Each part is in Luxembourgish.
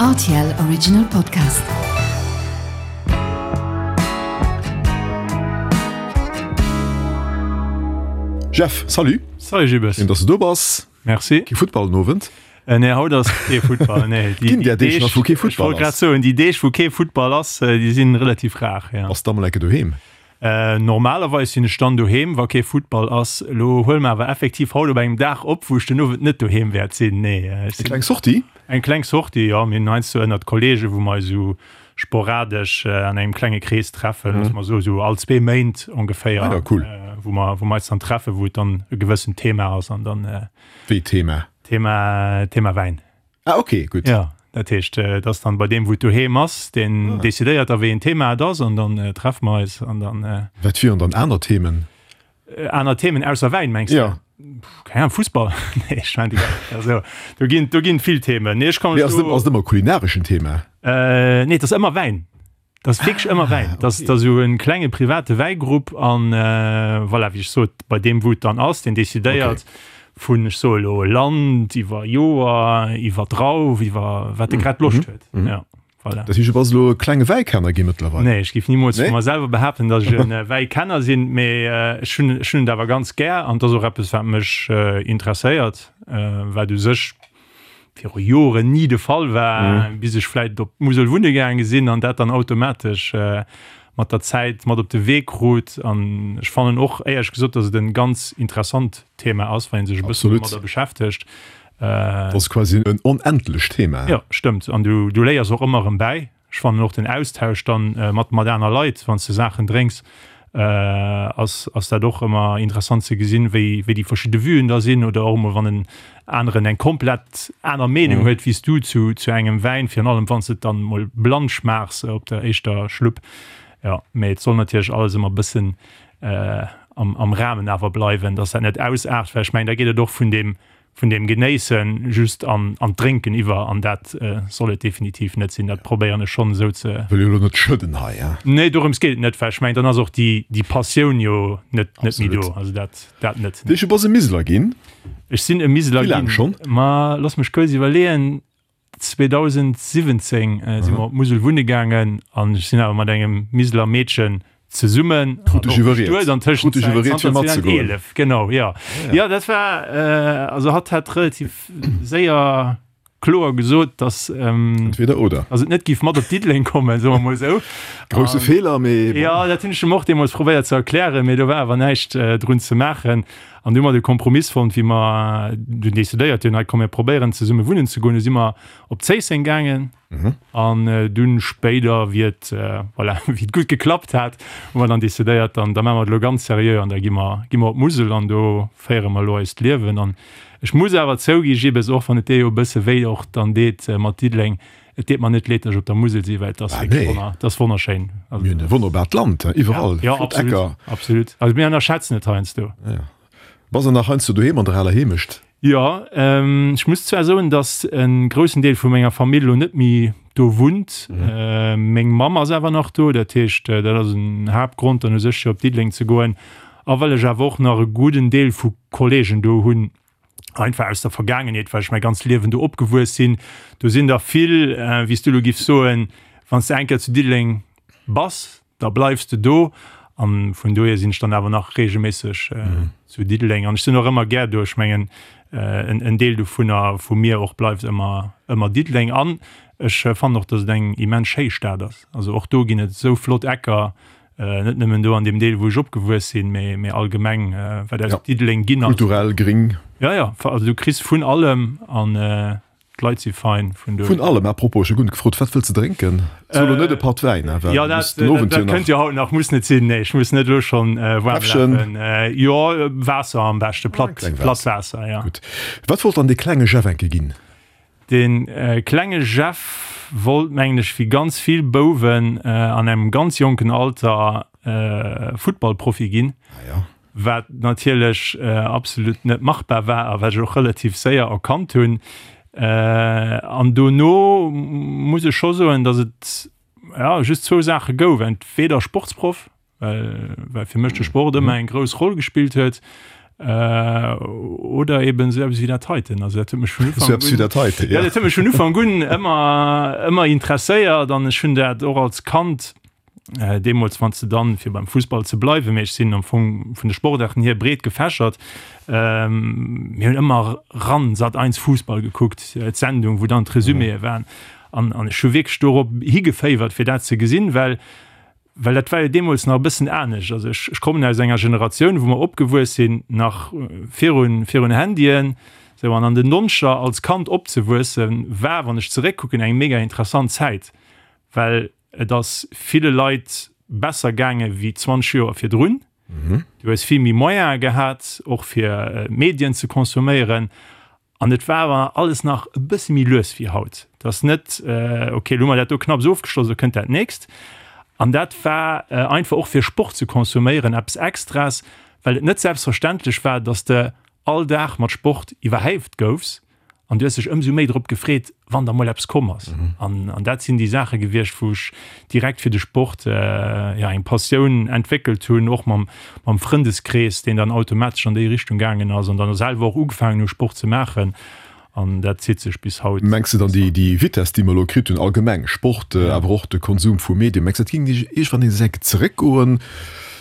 Rtl Original Podcast. Jeff, salut! Salut Gilles. Schéin, dass du do bass. Merci. Kee Futtball den Owend? Äh, nee, haut ass kee Futtball. Nee, déi, Ginn där Deeg nach, wou kee Futtball ass? Ech wollt grad soen, déi Deeg, wou kee Futtball ass, déi sinn relativ rar, ja. Bass du da mol enke doheem? Normalerweis sinn ech dann doheem, wa kee Futtball ass. Elo huele mer awer effektiv haut op engem Dag op, wou ech den Owend net doheem wäert sinn. Nee, ech sinn. Eng kleng Sortie? Eng kleng Sortie, jo. Mir hunn heiansdo ënnert Kollegen, wou mer eis esou sporadesch an engem klenge Krees treffen, loosse mer soen, esou all zwee Méint ongeféier. Ah jo, cool. Wou mer, wou mer eis dann treffen, wou et dann e gewëssent Thema ass an dann. Wéi Thema? Thema, Thema Wäin. Ah ok, gutt. Jo, dat heescht, et ass dann bei deem, wou et doheem ass, deen decidéiert da wéi een Thema et ass an dann treffe mer eis an dann. Wat wieren dann aner Themen? Aner Themen ausser Wäin, mengs de? Jo. Keng Ahnung, Fussball? Nee, ech mengen, also do ginn, do ginn vill Themen. Nee, ech kann mech do. Mee ass et ëmmer e kulinareschen Thema? Nee, et ass ëmmer Wäin. Dat ass wierklech ëmmer Wäin. Dat ass esou e klenge private Wäigrupp an voilà, wéi ech sot, bei deem wou et dann ass, deen decidéiert vun, ech soe lo Land, iwwer Joer, iwwer Drauf, iwwer wat e grad Loscht huet. Ja, voilà. Dat heescht, du bass elo e klenge Wäikenner gi mëttlerweil? Nee, ech géif nimools vu mer selwer behaapten, datt ech e Wäikenner sinn, mee ech hunn, ech hunn et awer ganz gär an et ass och eppes, wat mech interesséiert, wat u sech viru Joren ni de Fall war, mm. bis ech vläit op d'Musel wunne gaange sinn an dat dann automatesch äh, mat der Zäit mat op de Wee krut. An ech fannen och éierlech gesot, dass et en ganz interessant Thema ass, wann een sech e bëssen domadder beschäftegt. Äh, dat ass quasi en onendlecht Thema. Ja, stëmmt. An du, du léiers och ëmmer erëm bäi. Ech fannen och den Austausch dann mat mat aner Leit, wann s de Saachen drénks, ass ass dat och ëmmer interessant ze gesinn, wéi wéi déi verschidde Vuen da sinn oder och emol wann en aneren eng komplett aner Meenung huet wéi s du zu zu engem Wäin, virun allem wann s de et dann emol blann schmaachs op der éischter Schlupp. Jo, mee et soll natierlech alles ëmmer e bëssen am am Rahmen awer bleiwen, dass dat net ausaart, well ech mengen da geet et och vun deem vun deem Genéissen just an an d'Drénken iwwer, an dat soll et definitiv net sinn. Dat probéieren ech schonn esou ze. Wëll jo elo net schëdden hei, hein? Nee, dorëms geet et net, well ech mengen, dann ass och déi déi Passioun jo net net méi do. Also dat dat net. Deeche, bass e Miseler ginn? Ech sinn e Miseler ginn. Wéi laang schonn? Ma looss mech kuerz iwwerleeën. 2017 si mer op d'Musel wunne gaangen an ech sinn awer mat engem Miseler Meedchen zesummen Krut dech iwwerriet. An Krut dech iwwerriet fir matzegoen. 2011, genau, jo. Jo, dat war, also hatt hat relativ séier kloer gesot, dass, Entweder oder. dass et net giff mat op Diddeleng kommen, soe mer mol esou. Grousse Feeler, mee bon. Jo, dat hunn ech em och deemools probéiert ze erklären, mee do war awer näischt drun ze maachen. An du hu mer de Kompromiss fonnt, wéi mer dunn decidéiert hunn, hei komm mir probéieren zesumme wunnen ze goen. Du si mer op Zéisseng gaangen an dunn spéider, wéi et, voilà, wéi et gutt geklappt hat, hu mer dann decidéiert, dann da maache mer et elo ganz seriö an da gi mer, gi mer op d'Musel an do féiere mer elo eist Liewen. An ech muss awer zougi Gilles, och wann et dir jo e bësse wéi och dann deet mat Diddeleng, Et deet mer net leed, dass ech op der Musel sinn, well et ass wierklech wonner, et ass wonnerschéin. Also, Mir hunn e wonnerbart Land, hein, iwwerall ja, flott absolut, Ecker. Absolut. Also mir ënnerschätzen et heiansdo. Ja. Bass de nach heiansdo doheem an der aler Heemecht? Jo, ech muss zwar soen, dass e groussen Deel vu menger Famill elo net méi do wunnt. Meng Mamm ass awer nach do, dat heescht, dat ass en Haaptgrond dann u sech fir op Diddeleng ze goen. A well ech awer och nach e gudden Deel vu Kollegen do hunn, einfach aus der Vergaangenheet, well ech mäi ganzt Liewen do opgewuess sinn. Do sinn der vill, wéi s du elo giffs soen, wann s de eng Kéier zu Diddeleng bass, da bleifs de do. An vun dohier sinn ech dann awer nach reegelméisseg zu Diddeleng. An ech sinn och ëmmer gär do. Ech mengen, en Deel dovunner, vu mir och, bleift ëmmer, ëmmer Diddeleng. An ech fannen och, datt et eng immens schéi Stad ass. Also och do ginn et esou flott Ecker, Net nëmmen do an deem Deel, wou ech opgewuess sinn, mee, mee allgemeng, wat aus Diddeleng ginn ass. Kulturell, gring. Ja, ja, also du kriss vun allem an d'Leit si fein. Vun do. Vun allem. À propos, ech hu guer net gefrot, wat wëlls de drénken? So elo net e Patt Wäin, hein, well Ja, du dat, muss den Owend dat jo nach. kënnt jo haut nach, muss net sinn. Nee, ech muss net elo schonn waarm Käffchen? lafen. Jo, Waasser am beschte, platt, Kleng platt Waasser. Waasser, ja. Gutt. Wat wollt dann dee klenge Jeff enke ginn? De klenge Jeff wollt, mengen ech, wéi ganz vill Bouwen an engem ganz jonken Alter Futtballprofi ginn, wat natierlech absolut net machbar war a wat ech och relativ séier erkannt hunn. An dono muss ech scho soen, datt et just zwou Saache gouf, entweder Sportsproff, well, well fir mech de Sport ëmmer eng grouss Roll gespillt huet. Oder eben esou eppes wéi dat heiten. Also dat huet mech vun Ufank un, ja, dat huet mech vun Ufank un ëmmer, ëmmer interesséiert an ech hunn dat och als Kand deemools, wann s de dann, fir beim Fussball ze bleiwen, mee ech sinn am Fong vun de Sportaarten hier breet gefächert, mir hunn ëmmer ran Sat 1 Fussball gekuckt, d'Sendung, wou dann d'Resuméë waren. An, an ech hu wierklech dorop higeféiwert, fir dat ze gesinn, well Well dat war jo deemools nach e bëssen anescht. Also ech, ech kommen aus enger Generatioun, wou mer opgewuess sinn nach virun, virun Handyen. Sou, an an den Noncher als Kand opzewuessen, war, wann ech zeréckkucken, eng mega interessant Zäit, well et ass ville Leit besser gaange wéi 20 Joer virdrun. Du hues vill méi Moyene gehat, och fir Medien ze consomméieren. An et war awer alles nach e bësse méi lues wéi haut. Et ass net, ok, elo hu mer dat do knapps ofgeschloss, elo kënnt dat nächst. An dat war einfach och fir Sport ze consomméieren eppes Extras, well et net selbstverständlech war, datt s de all Dag mat Sport iwwerhäift goufs. An du hues dech ëmsou méi drop gefreet, wann da mol eppes komm ass. An dat sinn déi Saache gewiescht, wou ech direkt fir de Sport, jo, eng Passioun entwéckelt hunn, och mam, mam Frëndeskrees, deen dann automatesch an déi Richtung gaangen ass an dann selwer och ugefaangen hu Sport ze maachen. An dat zitt sech bis haut. Mengs de dann déi, déi Vitess, déi mer elo kritt hunn, allgemeng, Sport, awer och de Konsum vu Medien, mengs de dat géing iergendwann nees enk zeréckgoen?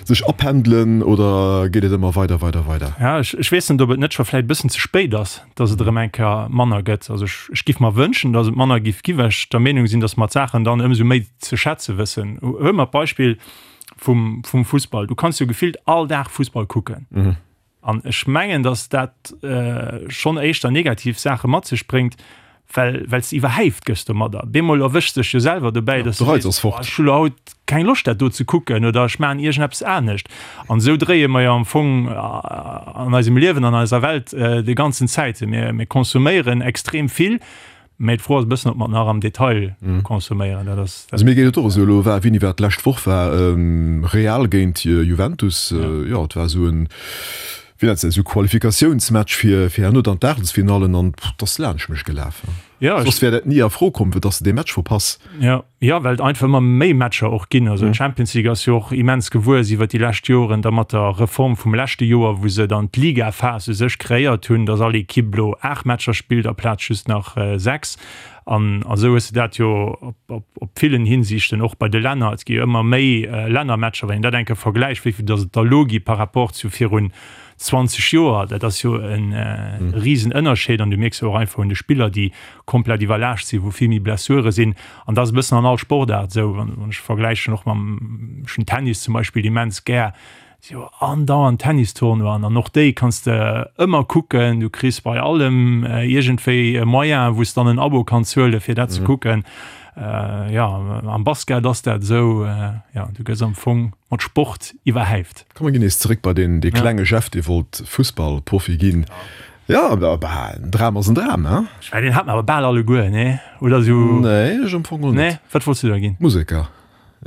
Sech apendelen oder geet et ëmmer weider, weider, weider? Ja, ech, ech weess net, ob et net scho vläicht e bëssen ze spéit ass, dass et erëm eng Kéier manner gëtt. Also ech, ech giff mer wënschen, dass et manner giff gi, well ech der Meenung sinn, dass mer d'Saachen dann ëmsou méi ze schätze wëssen. Huele mer d'Beispill vum, vum Fussball. Du kanns jo gefillt all Dag Fussball kucken. An ech mengen, dass dat schonn éischter negativ Saache mat sech bréngt, well well s de iwwerhäift gëss domadder. Bemol erwëschs dech jo selwer dobäi, dass de sees, Boah, ech hu lo haut keng Loscht dat do ze kucken oder ech maachen iergendeppes anescht. An esou dréie mer jo am Fong an eisem Liewen, an eiser Welt déi ganzen Zäit. Mir mir consomméieren extrem vill, Mä d'Fro ass e bëssen, ob mer et nach am Detail consomméieren. Dat ass. Also mir geet et och esou. Elo war, wéini war d'lescht Woch war Real géint Juventus. Jo, et war esou en, wéi nennt se dat, esou Qualifikatiounsmatch fir fir herno dann d'Aachtelsfinallen an et ass laanscht mech gelaf. Soss wär dat ni a Fro komm, fir dass de dee Match verpass. Jo. Jo, well et einfach ëmmer méi Matcher och ginn. Also d'Champions League ass jo och immens gewuess iwwer déi lescht Joren, da mat der Reform vum leschte Joer, wou se dann d'Ligaphas u sech kreéiert hunn, datt all Ekipp elo 8 Matcher spillt aplaz just nach 6. An esou hues de dat jo op op villen Hinsichten, och bei de Länner. Et gi jo ëmmer méi Lännermatcher, wann een dat eng Kéier vergläicht, wéi vill datt et der elo gi par rapport zu virun 20 Joer, dat ass jo e Risenënnerscheed. An du mierks jo och einfach un de Spiller, déi komplett iwwerlaascht sinn, wou vill méi Blessure sinn. An dat ass e bëssen an all Sportaart esou. Wann ech vergläichen och mam, ech hunn Tennis zum Beispill immens gär, si jo andauernd Tennistournoien an och déi kanns de ëmmer kucken. Du kriss bei allem iergendwéi e Moyen, wou s dann en Abo kanns huelen, fir dat ze kucken. Jo, am Basket ass dat esou, jo, du gëss am Fong mat Sport iwwerhäift. Komm mer ginn nees zeréck bei deen, dee klenge Jeff, dee wollt Fussballprofi ginn. Jo, bah, en Dram ass en Dram, hein? Ech mengen, deen hat mer awer bal alleguer, nee? Oder sou? Nee, ech am Fong och net. Nee? Wat wollts du da ginn? Museker,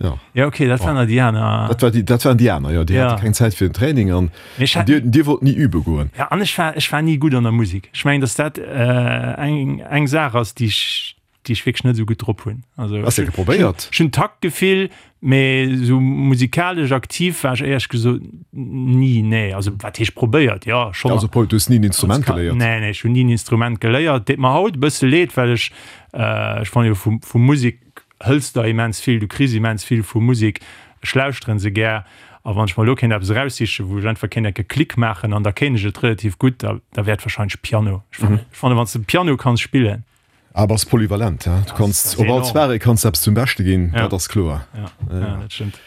jo. Jo, okay, dat waren da déi aner. Dat war déi, dat waren déi aner, jo. Déi hate keng Zäit fir den Training an dir, dir wollt ni übe goen. Ja, an ech war, ech war ni gutt an der Musek. Ech mengen, dass dat eng, eng Saach ass, déi ech, déi ech wierklech net esou gutt drop hunn. Also, Has de probéiert? Ech hunn Taktgefill, mee esou musikalesch aktiv war ech éierlech gesot ni, nee. Also wat heescht probéiert? Jo, schonn. Also Paul, du hues ni en Instrument geléiert? Nee, nee, ech hunn ni en Instrument geléiert. Deet mer haut e bësse leed, well ech, ech fannen jo vu, vu Musek hëls der immens vill, du kriss immens vill vu Musek. Ech lauschteren se gär a wann ech mer elo kéint eppes eraussichen, wou ech einfach kéint enke Klick maachen an da kéint ech et relativ gutt, da, da wär et wahrscheinlech Piano. Ech fannen, ech fannen, wann s de Piano kanns spillen, Ah, bass polyvalent, he? Du kanns op all Soirée kanns de eppes zum Beschte ginn, dat ass kloer. Ja, ja, dat stëmmt.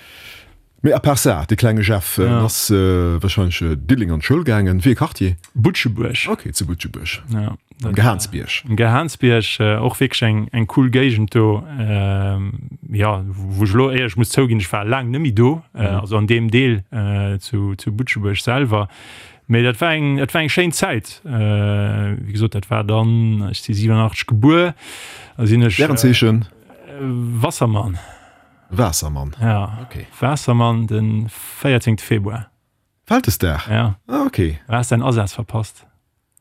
Mee à part ça, de klenge Jeff, en ass wahrscheinlech Diddeleng an d'Schoul gaangen. Wéi e Quartier? Butschebuerg. Ok, zu Butschebuerg. Ja, am Gehaansbierg. Am Gehaansbierg, och wierklech eng, eng cool Géigend do. Jo, wou ech elo éierlech muss zouginn, ech war laang net méi do, also an deem Deel zu, zu Butschebuerg selwer. Mee dat war eng, dat war eng schéin Zäit. Wéi gesot, dat war dann, ech si 87 gebuer, da sinn ech. Sternzeechen? Wassermann. Waassermann? Ja. Okay. Waassermann, de 14. Februar. Vältesdag? Ja. Ah, okay. Du has däin Asaz verpasst.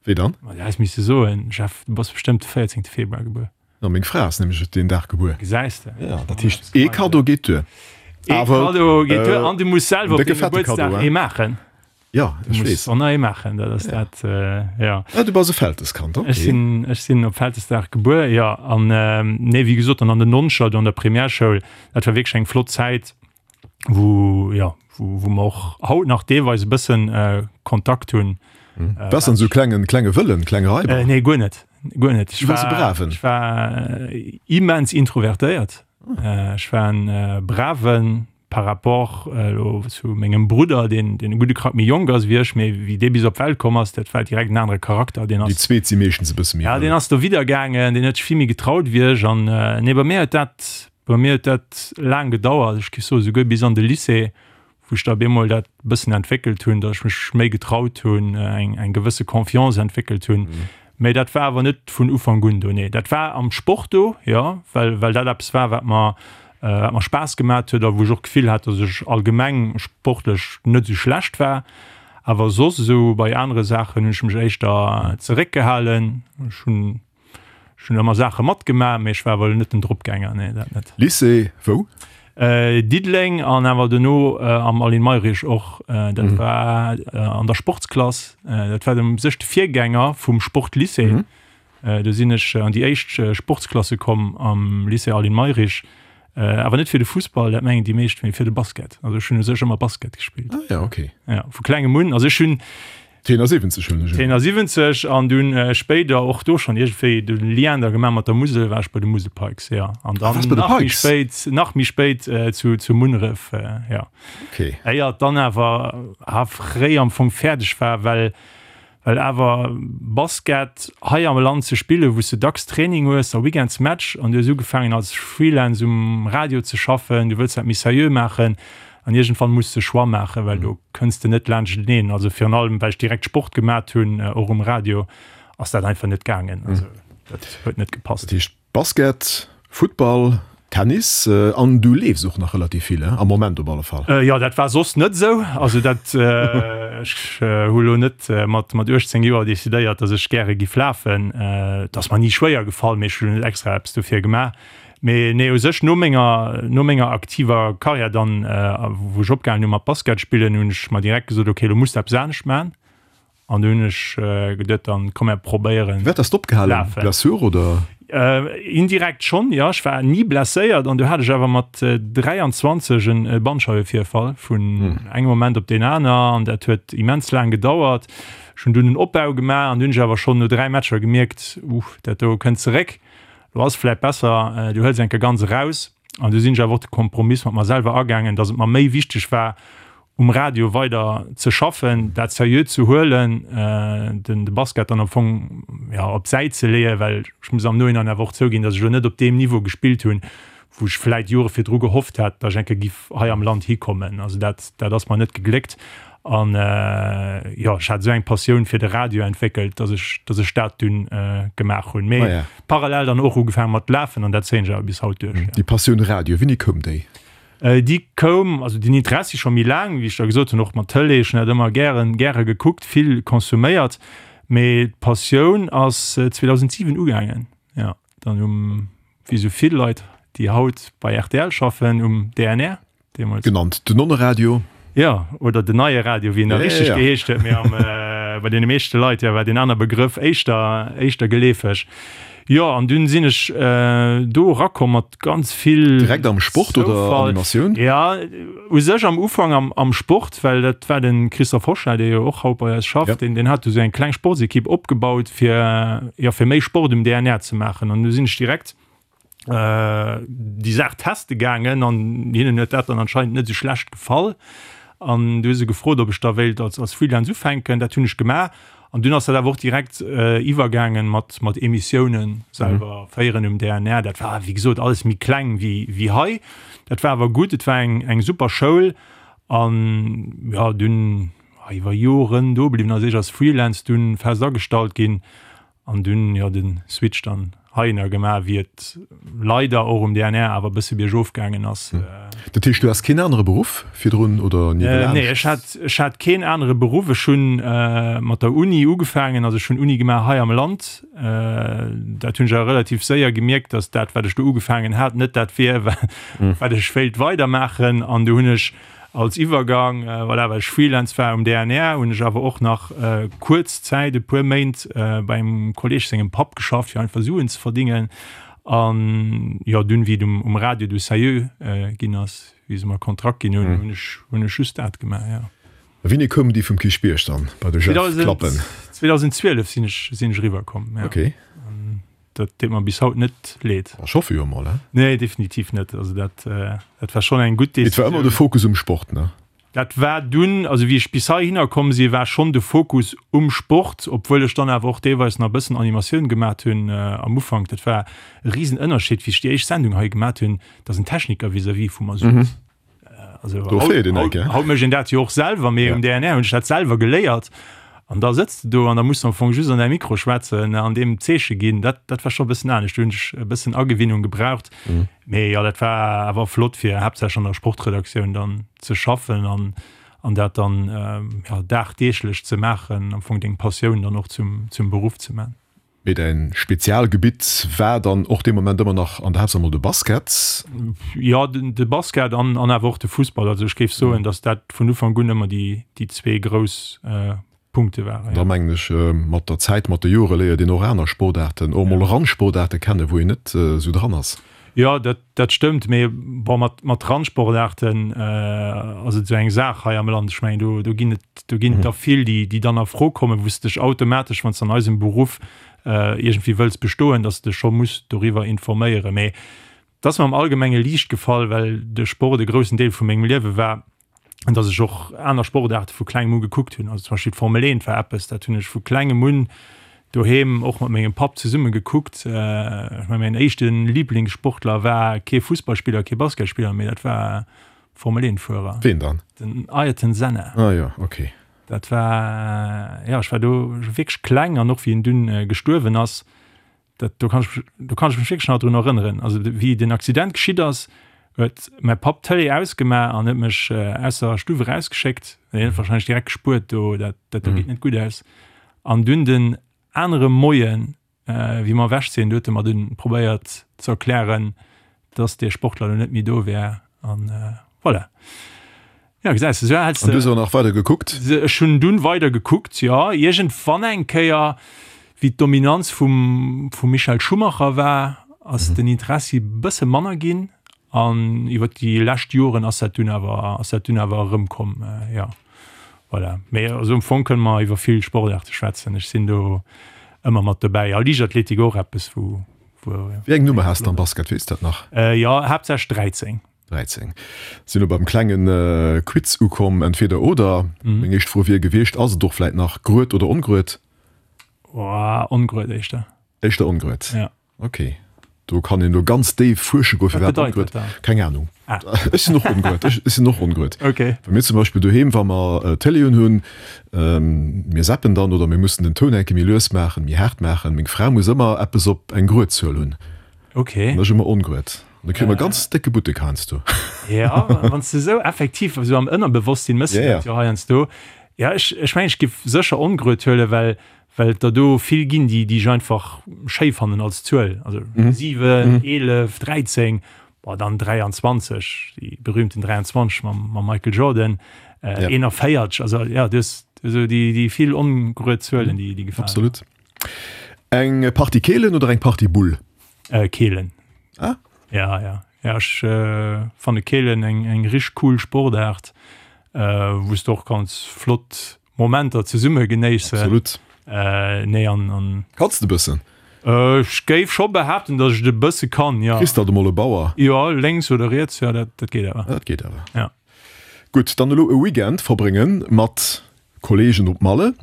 Wéi dann? Ma du häss misse soen, Jeff, du bass bestëmmt de 14. Februar gebuer. Jo, meng Fra ass nämlech deen Dag gebuer. Gesäis de? Ja, dat heescht, ee Kaddo geet duer. Ee Kaddo geet duer an du muss selwer op dengem Gebuertsdag ee maachen. Jo, ech weess. Muss och nach ee maachen, dat ass dat, jo. Ah, du bass e Välteskand, ok. Ech sinn, ech sinn op Vältesdag gebuer, jo. An, nee, wéi gesot, dann an den Noncher, do an der Primärschoul, dat war wierklech eng flott Zäit, wou, jo, wou, wou mer och haut nach deelweis e bëssen Kontakt hunn. Waars dann esou klengen, klenge Wëllen, klenge Raiber? Nee, guer net, guer net. Du waars e Braven? Ech war immens introvertéiert. Ech war en Braven, par rapport elo zu mengem Brudder, deen deen e gudde Krack méi jonk ass wéi ech, mee wéi dee bis op d'Welt komm ass, dat war direkt en anere Charakter. Deen ass. Déi zweet si meeschtens e bësse méi. Ja, deen ass do widder gaangen, deen huet sech vill méi getraut wéi ech. An nee, bei mir huet dat, bei mir huet dat laang gedauert, ech géif soen esouguer bis an de Lycée, wou ech da op eemol dat e bëssen entwéckelt hunn, datt ech mech méi getraut hunn, eng eng gewësse Confiance entwéckelt hunn. Mee dat war awer net vun Ufank un do, nee. Dat war am Sport do, jo, well, well dat eppes war, wat mer, wat mer Spaass gemat huet a wou ech och d'Gefill hat, datt ech allgemeng sportlech net esou schlecht war. Awer soss esou bei anere Saachen hunn ech mech éischter zeréckgehalen. Ech hunn, ech hunn ëmmer Saache matgemaach, mee ech war awer elo net den Dropgänger, nee, dat net. Lycée wou? Diddeleng an awer dono am Aline Mayrisch och. Dat war an der Sportsklass. Dat war u sech de Virgänger vum Sportlycée. Do sinn ech an déi éischt Sportsklasse komm am Lycée Aline Mayrisch. Awer net fir de Fussball, dat mengen déi meescht, mee fir de Basket. Also ech hunn u sech ëmmer Basket gespillt. Ah ja, okay. Ja, vu klengem un. Also ech hunn. 72 hunn ech. 72 an dunn spéider och do schonn iergendwéi de Lien da gemaach mat der Musel, war ech bei de Musel Pikes, jo. An dann nach méi spéit, nach méi spéit zu, zu Munneref, jo. Okay. Éier et dann awer fréi am Fong fäerdeg war, well, well awer Basket hei am Land ze spillen, wou s de dacks Training hues a weekends Match an du hues ugefaangen als Freelance um Radio ze schaffen, du wëlls dat méi seriö maachen, An iergendwann muss de Choix maachen, well do kënns de net laanschteneen. Also virun allem, well ech direkt Sport gemat hunn, och um Radio, ass dat einfach net gaangen. Also dat huet net gepasst. Dat heescht Basket, Futtball, Tennis an du leefs och nach relativ vill, am Moment op alle Fall. Jo, dat war soss net esou. Also dat, ech hu lo net mat 18 Joer decidéiert, datt ech gäre giff lafen. Et ass mer ni schwéier gefall, mee ech hunn net extra eppes dofir gemaach. Mee nee, u sech no menger, no menger aktiver Karriär dann, wou ech opgehalen hu mat Basket spillen, hunn ech mer direkt gesot, okay, lo muss de eppes anescht maachen. An du hunn ech geduet, dann komm mer probéieren. Firwat has de opgehalen? Blessure oder? Indirekt schonn, jo. Ech war ni blesséiert an du hat ech awer mat 23 en Bandscheiwevirfall vun engem Moment op deen aner an dat huet immens laang gedauert. Ech hunn dunn en Opbau gemaach an du hunn ech awer schonn no 3 Matcher gemierkt, uh, dat do kënnt zeréck. Lo ass vläit besser, du hëls eng Kéier ganz eraus. An du sinn ech awer och de Kompromiss mat mer selwer agaangen, datt et mer méi wichteg war, um Radio weider ze schaffen, dat seriö ze huelen, den de Basket dann am Fong, jo, op d'Säit ze leeën, well ech muss am Nohinein awer och zouginn, datt ech elo net op deem Niveau gespillt hunn, wou ech vläit Jore virdru gehofft hat, datt ech eng Kéier giff hei am Land hikommen. Also dat, dat ass mer net gegléckt. An jo, ech hat esou eng Passioun fir de Radio entwéckelt, datt ech, datt ech dat dunn gemaach hunn. Mee ah, ja. parallel dann och ugefaange mat lafen an dat zéien ech awer bis haut duerch. Déi Passioun Radio, wéini koum déi? Déi koum, also den Interessi scho méi laang, wéi ech da gesot hunn, och mat Tëlee, ech hunn dat ëmmer gären, gäre gekuckt, vill konsuméiert. Mee d'Passioun ass 2007 ugaangen, jo, dann um, wéi esou vill Leit, déi haut bei rtl schaffen, um DNR. Deemools. Genannt den Nonneradio. Jo, oder den neie Radio, wéi en da richteg geheescht huet. Mee am, bei deene meeschte Leit, jo, war deen aner Begrëff éischter, éischter geleefeg. Jo, an dunn sinn ech do erakomm mat ganz vill. Direkt am Sport oder Animatioun? Ja, u sech am Ufank am, am Sport, well dat war de Christophe Hochscheid, dee jo och haut bei eis schafft, deen, deen hat du sou eng kleng Sportsekipp opgebaut, fir, jo, fir méi Sport um DNR ze maachen. An du sinn ech direkt déi Saach teste gaangen an hinnen huet dat dann anscheinend net esou schlecht gefall. An du hu se gefrot, ob ech da wéilt als, als Freelance ufänken. Dat hunn ech gemaach. An dunn ass dat awer och direkt iwwergaangen mat, mat Emissiounen selwer mhm. féieren um DNR. Dat war, wéi gesot, alles méi kleng wéi, wéi hei. Dat war awer gutt, et war eng, eng super Schoul. An ja, dunn iwwer Joren do bliwwen, also ech als Freelance dunn fest agestallt ginn. An dunn jo den Switch dann heihinner gemaach, wéi et leider och um DNR awer e bësse biergof gaangen ass. Dat heescht, du has keen anere Beruff virdrun oder niewelaanscht? Nee, ech hat, ech hat keen anere Beruff. Ech hunn mat der Uni ugefaangen, also ech hunn Uni gemaach hei am Land. Dat hunn ech awer relativ séier gemierkt, datt dat, wat ech do ugefaangen hat, net dat wier, wat ech wéilt weidermaachen. An du hunn ech. Als Iwwergang, voilà, well ech Freelance war um DNR, hunn ech awer och nach kuerz Zäit, e puer Méint, bei engem Kolleeg sengem Papp geschafft, fir einfach Suen ze verdingen. An jo, dunn, wéi et um Radio du sérieux ginn ass, wéi se mer e Kontrakt ginn hunn, hunn ech, hunn ech just dat gemaach, jo. A wéini koumen déi vum Kierchbierg dann bei de Jeff klappen? 2012 sinn ech, sinn ech eriwwer komm, jo. Okay. Dat deet mer bis haut net leed. Ech hoffe jo mol, he? Nee, definitiv net. Also dat, dat war schonn eng gutt Decisioun. Et war ëmmer de Fokus um Sport, ne? Dat war dunn, also wéi ech bis heihinner komm sinn, war schonn de Fokus um Sport, obwuel ech dann awer och deelweis nach e bëssen Animatioun gemat hunn am Ufank. Dat war e Risenënnerscheed, wéi ech déi éischt Sendung hei gemat hunn, dass en Techniker vis-à-vis vu mer souz. Also Do haut, feelt een haut, eng, haut mécht een dat jo och selwer, mee Ja. um DNR hunn ech dat selwer geléiert. An da sëtz de do an da muss de am Fong just an däi Mikro schwätzen an deem Zeeche ginn. Dat, dat war scho e bëssen anescht. Do hunn ech e bëssen Agewinnung gebraucht. Mee jo, dat war awer flott, fir haaptsächlech an der Sportredaktioun dann ze schaffen an, an dat dann ja, dagdeeglech ze maachen, am Fong deng Passioun dann och zum, zum Beruff ze man. Mee däin Spezialgebitt war dann och dee Moment ëmmer nach an der Haaptsaach mol de Basket? Jo, de Basket an awer och de Fussball. Also ech géif soen, datt dat vun Ufank un ëmmer déi zwee grouss Punkte waren. Da mengen ech, mat der Zäit, mat de Jore léiert een och aner Sportaarten, och mol Randsportaarte kennen, wou een net esou dran ass. Jo, dat, dat stëmmt, mee bon, mat, mat Randsportaarten ass et esou eng Saach hei am Land. Ech mengen, do, do ginn et, do ginn et der vill, déi, déi dann a Fro kommen, wou s de dech automatesch, wann s de an eisem Beruff iergendwéi wëlls bestoen, datt s de dech scho muss doriwwer informéieren. Mee et ass mer am Allgemenge liicht gefall, well de Sport e groussen Deel vu mengem Liewe war. An dass ech och aner Sportaarte vu klengem u gekuckt hunn. Also zum Beispill d'Formel 1 war eppes, dat hunn ech vu klengem un doheem och mat mengem Papp zesumme gekuckt. Ech mengen, mäin éischte Liblingssportler war kee Fussballspiller, kee Basketspiller, mee dat war Formel 1 Fuerer. Ween dann? Den Ayrton Senna. Ah jo, okay. Dat war, jo, ech war do wierklech kleng an och wéi en dunn gestuerwen ass, Dat, do kann ech, do kann ech mech wierklech nach drun erënneren. Also wéi den Accident geschitt ass, huet mäi Papp d'Tëlee ausgemaach an huet mech aus der Stuff erausgeschéckt. Hien huet wahrscheinlech direkt gespuert, do, dat, dat do geet net gutt aus. An dunn den anere Moien, wéi mer ewech sinn, do huet e mer dunn probéiert ze erklären, dass dee Sportler elo net méi do wär. An voilà. Ja, gesäis de, sou häls de. An du hues awer nach weider gekuckt? Ech hunn dunn weider gekuckt, jo. Iergendwann eng Kéier, wéi d'Dominanz vum, vum Michael Schumacher war, ass den Interessi bësse manner ginn. An iwwer déi lescht Joren ass dat dunn awer, ass dat dunn awer erëmkomm, jo. Voilà. Mee also am Fong kënne mer iwwer vill Sportaarte schwätzen. Ech sinn do ëmmer mat dobäi. A Liichtathletik och eppes, wou, wou. Wéi eng Nummer has de am Basket, weess de dat nach? Jo, haaptsächlech 13. 13. Sinn elo beim klengen Quiz ukomm, entweder oder. Meng éischt Fro wier gewiescht, ass et och vläit nach grued oder ongrued? Oh, ongrued éischter. Éischter ongrued? Ja. Ok. Do kann een elo ganz déif fuersche goen, firwat ongrued. Keng Anung. Ah. Ech sinn och ongrued. Ech sinn och ongrued. Ok. Well mir zum Beispill doheem, wa mer Tëlee un hunn, mir zappen dann oder mir mussen den Toun enke méi lues maachen, méi haart maachen. Meng Fra muss ëmmer eppes op eng grued Zuel hunn. Ok. An ech ëmmer ongrued. An da kréie mer ganz décke Buttek heiansdo. Ja, wann s de esou effektiv esou am Ënnerbewosstsinn mëss de dat jo heiansdo. Ja, ech, ech mengen, ech giff sécher ongrued huelen, well, well et der do vill ginn, déi, déi ech einfach schéi fannen als Zuel. Also 7, 11, 13, boah, dann 23, déi berühmten 23 mam, mam Michael Jordan, 41, also ja, du hues esou déi, déi vill ongrued Zuelen, déi, déi gefalen. Absolut. Eng Partie Keelen oder eng Partie Bull? Äh, Keelen. Ah? Ja, ja. Ja, ech äh, fanne Keelen eng, eng rich cool Sportaart, äh, wou s de och kanns flott Momenter zesumme genéissen. Absolut. Äh, nee, an, an. Kanns de bëssen? Äh, ech géif scho behaapten, datt ech et e bësse kann, ja. Kriss dat emol e Bauer? Jo, lénks oder riets, ja, dat, dat geet awer. Dat geet awer. Ja. Gutt, dann elo e Weekend verbrénge mat Kollegen op Malle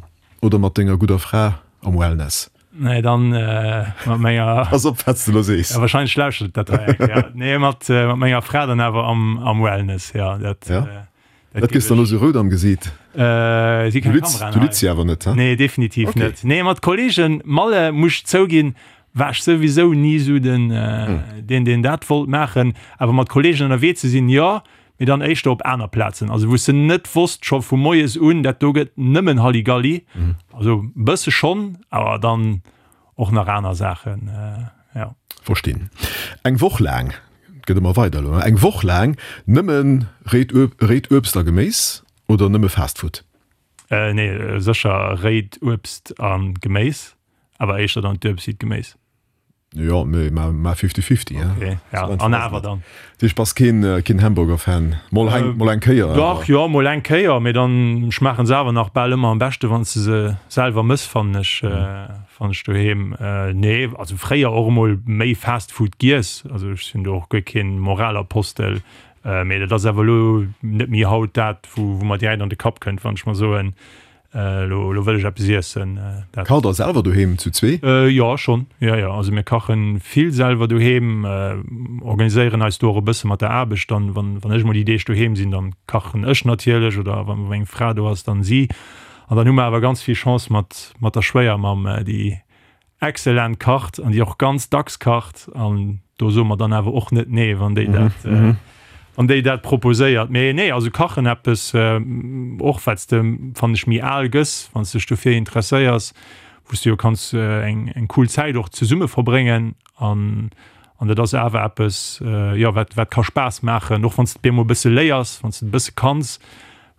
oder mat denger gudder Fra am Wellness? Nee, dann mat menger. Pass op, wat s de elo sees. Ja, wahrscheinlech lauschtert dat hei eng Kéier. Nee, mat, mat menger Fra dann awer am, am Wellness, ja. Dat, ja. Dat, dat gëss dann elo sou rout am Gesiit. Äh, si keng Kameraen Du litz si awer net, he? Nee, definitiv okay. net. Nee, mat Kollegen, Malle, muss ech zouginn, war ech souwisou ni sou den, äh, hm. deen, deen dat wollt maachen. Awer mat Kollegen ënnerwee ze sinn, jo. Mee dann éischter op aner Plazen, also wou s de net wosst scho vu moies un, dat do gëtt nëmmen Halligalli. Also e bësse schonn, awer dann och nach aner Saachen, jo. Verstinn. Eng Woch laang. gëtt ëmmer weider elo, eng Woch laang nëmme réit réit Uebst a Geméis oder nëmme Fast Food? Nee, sécher réit Uebst a Geméis, awer éischter dann d'Uebst wéi d'Geméis. Jo, mee ma fifty-fifty, hein. Okay, ja, an awer dann. Dat heescht, bass keen, keen Hamburger-Fan? Mol eng, mol eng Kéier awer. Dach, jo, mol eng Kéier, mee dann schmaachen se awer nach bal ëmmer am beschte wann s de se selwer mëss, fannen ech, fannen ech doheem. Nee, also fréier och emol méi Fast Food giess, also ech sinn do och guer keen Moralapostel, mee dat ass awer elo net méi haut dat, wou, wou mer direkt an de Kapp kënnt, wann ech mer soen, Elo wëll ech eppes iessen. Dat. Kacht der selwer doheem zu zwee? Jo, schonn. Jo, jo. Also mir kache vill selwer doheem, organiséieren eis do och e bësse mat der Aarbecht dann. Wann, wann ech mol déi Deeg doheem sinn, dann kachen ech natierlech oder wa meng Fra do ass, dann si. An dann hu mer awer ganz vill Chance mat, mat der Schwéiermamm, déi excellent kacht an déi och ganz dacks kacht an do soe mer dann awer och net nee, wann déi dat wann déi dat proposéiert. Mee nee, also kachen eppes och wat s de fannen ech méi al gëss, wann s dech dofir interesséiers, wou s de jo kanns eng eng cool Zäit och zesumme verbréngen an an dat ass awer eppes jo wat wat ka Spaass maachen, och wann s de et bemol e bësse léiers, wann s de et e bësse kanns,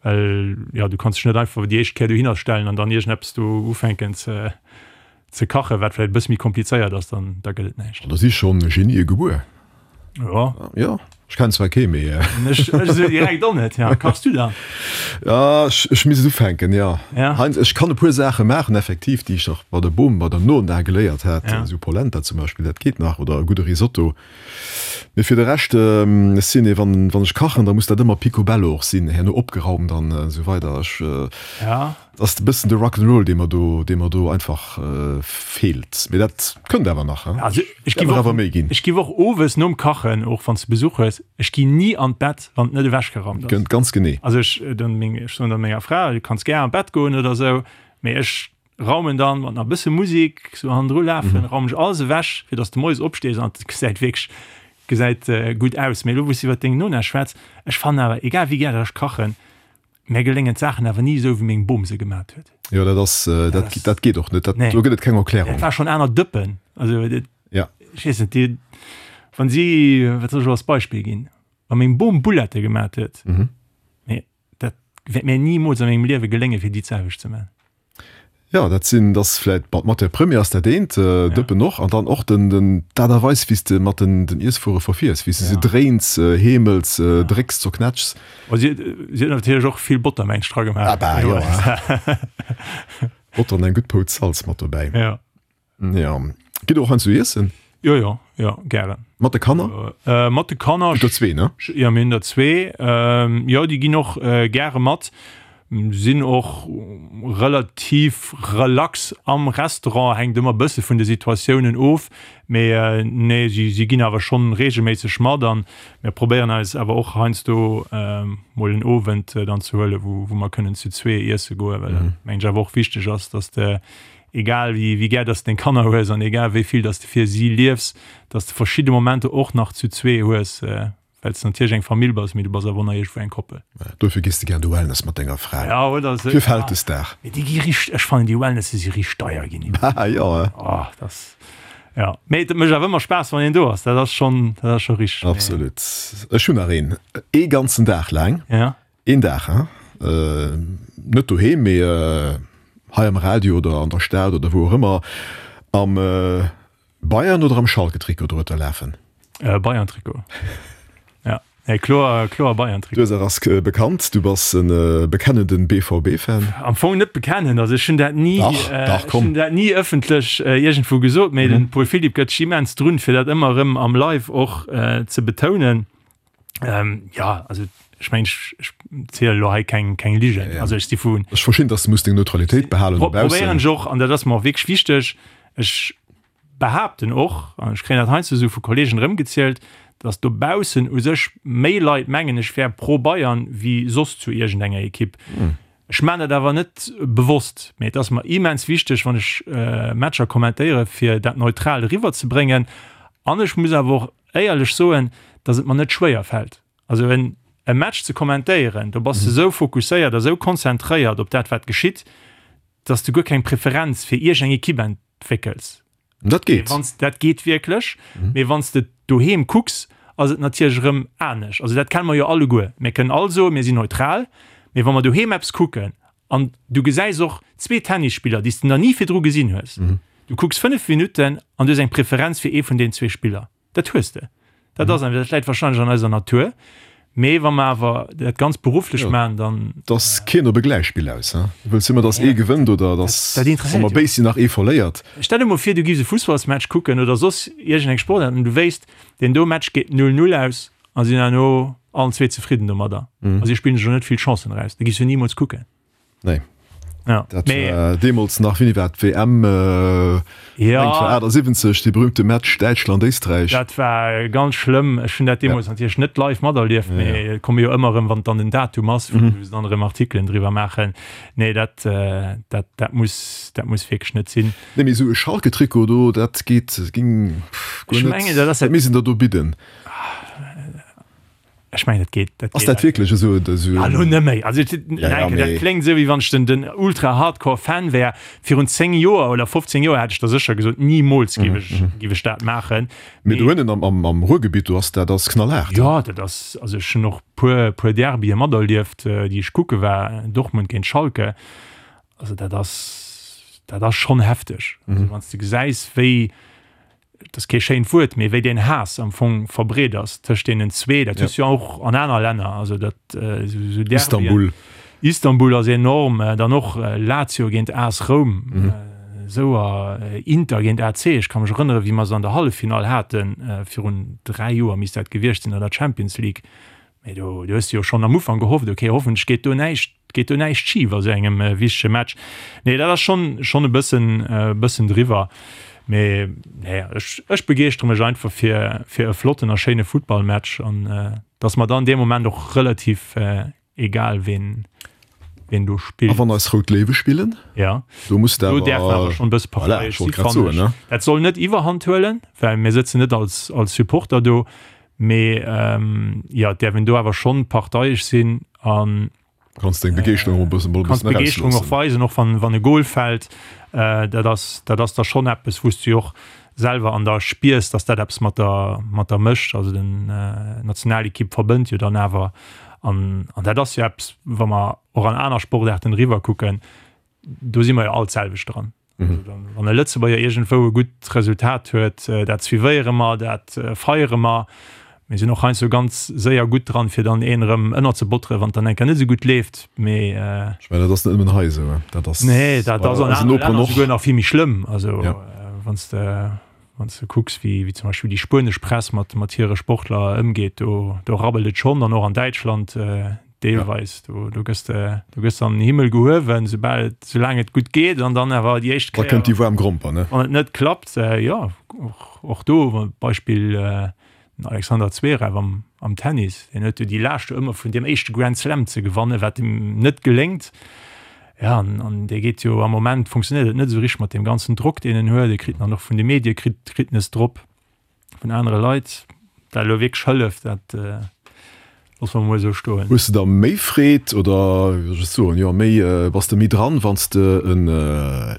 well jo du kanns dech net einfach déi éischt Kéier dohinner stellen an dann iergendeppes do ufänken ze ze kachen, wat vläicht e bësse méi komplizéiert ass, dann da gëtt et näischt. An da si schonn Genië gebuer. Jo. Jo, ech kennen zwar kee, mee. Ech ech esou direkt och net, ja. Kachs du dann? Ja, ech ech misst et ufänken, jo. Ja. Heinz, ech kann e puer Saache maachen, effektiv, déi ech nach bei der Bom, bei der Nona geléiert hat, Ja. esou Polenta zum Beispill, dat geet nach, oder e gudde Risotto. Mee fir de Rescht, ech sinn ee, wann wann ech kachen, da muss dat ëmmer picobello och sinn, herno opgeraumt an esou weider. Ech. Ja. Ass e bëssen de Rock'n'Roll, dee mer do, dee mer do einfach feelt. Mee dat kënnt awer nach, hein? Also ech giff och, awer méi ginn. Ech giff och owes nom Kachen, och wann s de Besuch hues, ech ginn ni an d'Bett, wann et net ewechgeraumt ass. Gënnt ganz genee. Also ech, dann meng, ech soen dann menger Fra, du kanns gär an d'Bett goen oder esou, mee ech raumen dann mat nach e bësse Musik sou hannendru lafen, raumen ech alles ewech, fir dass de moies opstees an et gesäit wierklech, gesäit gutt aus. Mee elo wou s de iwwert deng Nona schwätz, ech fannen awer, egal wéi gär ech kachen, Mär geléngen d'Saachen awer ni esou, wéi meng Bom se gemat huet. Jo, dat ass, dat, dat geet och net. Dat, do gëtt et keng Erklärung. Dat war schonn aner Dëppen. Also, dat, ja. Ech weess net, déi, wann si, wat soll ech elo als Beispill ginn? Wa meng Bom Bullette gemat huet, mee dat wäert mär nimools a mengem Liewe geléngen, fir déi d'selwecht ze man. Jo, dat sinn, dat ass vläit, bon, d'Matière première ass dat eent, Dëppen och, an dann och den, den, d'Aart a Weis, wéi s de mat den, den Iesswuere verfiers, wéi s de se dréins, heemels, drécks, zerknätschs. Bon, si huet, si huet natierlech och vill Botter, mengt ech, dra gemaach. Ah bah, jo. Botter an eng gutt Pouz Salz mat dobäi. Jo. Ja. Gitt der och heiansdo iessen? Jo, jo, jo, gären. Mat de Kanner? Äh, mat de Kanner. Hutt der zwee, ne? Jo, mir hunn der zwee. Ähm, jo, déi ginn och äh, gäre mat. Sinn och relativ relax am Restaurant, hänkt ëmmer e bësse vun de Situatiounen of. Mee äh, nee, si, si ginn awer schonn reegelméisseg mat an mir probéieren eis awer och heiansdo äh, mol en Owend äh, dann ze huelen, wou, wou mer kënnen zu zwee iesse goen, well dat, mengen ech, awer och wichteg ass, dass de Egal wéi gär dass de deng Kanner hues an egal wéi vill dass de fir si liefs, dass de verschidde Momenter och nach zu zwee hues, well s de natierlech eng Famill bass, mee du bass awer och nach iergendwou eng Koppel. Dofir gees de gär an de Wellness mat denger Fra. Ja, oder esou. Fir Vältesdag. Mee déi gi richt, ech fannen déi Wellnesse si richt deier ginn. Haha, jo, he. Oh, dass, ja. Mee et mécht awer ëmmer Spaass, wann een do ass, dat ass schonn, dat ass scho richteg. Absolut. Ech hunn nach een. Ee ganzen Dag laang. Ja. Een Dag, hein? Net doheem, mee hei am Radio oder an der Stad oder wou och ëmmer, am Bayern oder am Schalke-Trikot dorueter lafen? Bayern-Trikot. Ja, nee, kloer, kloer Bayern-Trikot. D'Ursaach ass bekannt, du bass e bekennenden BVB-Fan. Am Fong net bekennend, also ech hunn dat ni, Dach, dach, ech komm. hunn dat ni ëffentlech iergendwou gesot, mee den Paul Philipp gëtt sech immens drun, fir dat ëmmer erëm am Live och ze betounen. Ähm, ja, also ech meng ech, ech ziele lo hei keng, keng Ligen. Ja, ja. Also ech si vun Ech verstinn, dass du muss deng Neutralitéit behalen Pro no baussen. probéieren ech och, an dat ass mer och wierklech wichteg, ech behaapten och, an ech kréien dat heiansdo esou vu Kollegen erëmgezielt, dass dobaussen u sech méi Leit mengen, ech wär pro Bayern wéi soss zu iergendenger Ekipp. Ech maan dat awer net bewosst, mee et ass mer immens wichteg, wann ech Matcher kommentéieren, fir dat neutral eriwwer ze bréngen. An ech muss awer och éierlech soen, dass et mer net schwéier fält. Also en e Match ze kommentéieren, do bass de esou fokusséiert a sou konzentréiert op dat wat geschitt, dass de guer keng Preferenz fir iergeng Ekipp entwéckels. Dat geet. Wanns, dat geet wierklech, mee wanns de doheem kucks. ass et natierlech erëm anescht. Also dat kenne mer jo alleguer. Mir kënnen all soen, mir sinn neutral, mee wa mer doheem eppes kucken an du gesäis och zwee Tennisspiller, déi s de nach ni virdru gesinn hues, du kucks 5 Minutten an du hues eng Preferenz fir ee vun deenen zwee Spiller. Dat hues de. Dat ass einfach, dat läit wahrscheinlech an eiser Natur. Mee wa mer awer dat ganz berufflech maachen, dann. Et ass keen op e Gläichspill aus, he? Du wëlls ëmmer, datt ee gewënnt oder datt, Dat interesséiert wa mer béis sinn, nach ee verléiert. Stell der mol vir, du giffs e Fussballsmatch kucken oder soss iergendeng Sportaart an du wéisst, deen do Match geet 0, 0 aus a sinn herno allen zwee zefridden domadder a si spillen sech och net vill Chancen eraus. Da giffs du nimools kucken. Nee. Ja. Dat Mee, war deemools nach, wéini war d'WM? Äh, ja. 1978, dee berühmte Match Däitschland-Éisträich. Dat war ganz schlëmm. Ech hunn dat deemools ja. natierlech net live materlieft, ja, mee ja. komme jo ëmmer erëm, wann dann den Datum ass, wou mhm. se dann erëm Artikelen driwwer maachen. Nee, dat, äh, dat, dat muss, dat muss wierklech net sinn. Nee, mee esou e Schalke-Trikot do, dat geet, ging pff, guer Ech net. mengen, dat ass Dat misst een der do bidden. Ech mengen, dat geet. Dat Ass dat wierklech esou? esou Ah, lo net méi. Also, et, ja, ja, dat mee. kléngt esou, wéi wann ech den, den ultra-hardcore-Fan wär. Virun 10 Joer oder 15 Joer hätt ech der sécher gesot, nimools géif ech, géif ech dat maachen. Mee do ënnen am, am, am Ruhrgebitt, do ass dat ass knallhaart. Jo, dat ass, also ech hunn och puer, puer Derbye materlieft, déi ech kucke war, Dortmund géint Schalke. Also dat ass, dat ass schonn hefteg. Also wann s de gesäis, wéi, et ass kee schéint Wuert, mee wéi deen Haass am Fong verbreet ass tëscht deenen zwee, dat hues du jo och an aner Länner, also dat esou Derbyen. Istanbul. Istanbul ass enorm, dann och Lazio géint AS Roum, esou a Inter géint AC. Ech ka mech erënnere wéi mer se an der Halleffinall haten, virun 3 Joer misst dat gewiescht sinn an der Champions League, Mee do, do hues de jo schonn am Ufank gehofft, okay, hoffentlech geet do näischt, geet do näischt schif a sou engem wichtege Match. Nee, dat ass schonn, schonn e bëssen, e bëssen driwwer. Mee nee, ech, ech begeeschtere mech einfach fir, fir e flotten a schéine Futtballmatch an et ass mer dann dee Moment och relativ egal, ween, ween do spillt. A wann eis Rout Léiwe spillen? Ja. Do muss de awer. Do däerf en awer schonn e bësse parteiesch si, fannen ech. Dat soll net Iwwerhand huelen, well mir sëtzen net als, als Supporter do. Mee jo, et däerf een do awer schonn parteiesch sinn an. Kanns deng Begeeschterung och e bëssen erausloossen. Kanns d'Begeeschterung och weisen, och wann, wann e Gol fält. Dat ass, dat ass da schonn eppes, wou s du jo och selwer an der spiers, datt dat eppes mat der, mat der mécht. Also den Nationalekipp verbënnt jo dann awer. An, an dat ass jo eppes, wa mer och an aner Sportaarten eriwwer kucken, do si mer jo all d'selwecht dran. Wann e Lëtzebuerger iergendwou e gutt Resultat huet, dat suivéiere mer, dat feiere mer. Mir sinn och heiansdo ganz séier gutt dran, fir dann een erëm ënnerzebotteren, wann et dann eng Kéier net esou gutt leeft. Mee. Ech mengen, dat ass net nëmmen hei esou. Dat ass Nee, dat ass an anere Länner souguer nach vill méi schlëmm. Also wann s de, wann s de kucks, wéi, wéi zum Beispill déi spuenesch Press mat, mat hire Sportler ëmgeet, do, do rabbelt et schonn. An och an Däitschland Deelweis, do, do gëss de, do gëss de an den Himmel gehuewen, soubal et, soulaang et gutt geet, an dann awer déi éischt Kéier. Da kënnt déi waarm Gromper, ne? Wann et net klappt, jo, och, och do, Beispill den Alexander Zverev am, am Tennis, deen huet jo déi Laascht jo ëmmer vun deem éischte Grand Slam ze gewannen, wat him net geléngt. Ja, an, an dee geet jo am Moment, funktionéiert et net esou richteg mat deem ganzen Drock, deen en huet, e kritt en dann och vun de Medie kritt, kritt en es drop. vun anere Leit, dat elo wierklech hëlleft, dat loosse mer emol esou stoen. Hues de da méi Freed oder wéi soll ech et soen, jo méi, bass de méi dran, wann s de e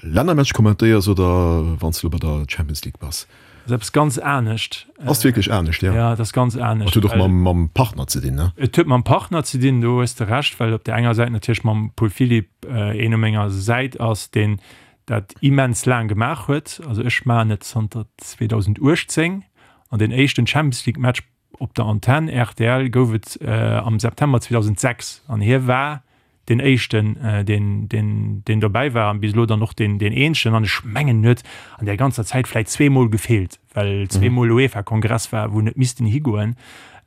Lännermatch kommentéiers oder wann s de elo bei der Champions League bass? Dat ass eppes ganz anescht. Ass wierklech anescht, jo? Jo, et ass ganz anescht. Et huet och mam Partner ze dinn, ne? Et huet mam Partner ze dinn, do hues de Recht, well op där enger Säit natierlech mam Paul Philipp een u menger Säit ass, deen dat immens laang gemaach huet. Also ech maachen et zanter 2018 an den éischten Champions League Match op der Antenn rtl gouf et am September 2006 an hie war deen éischten deen deen deen dobäi war an bis elo dann och deen deen eenzegen an ech mengen en huet an där ganzer Zäit vläit zweemol gefeelt, well zweemol UEFA Kongress war wou en huet missten higoen.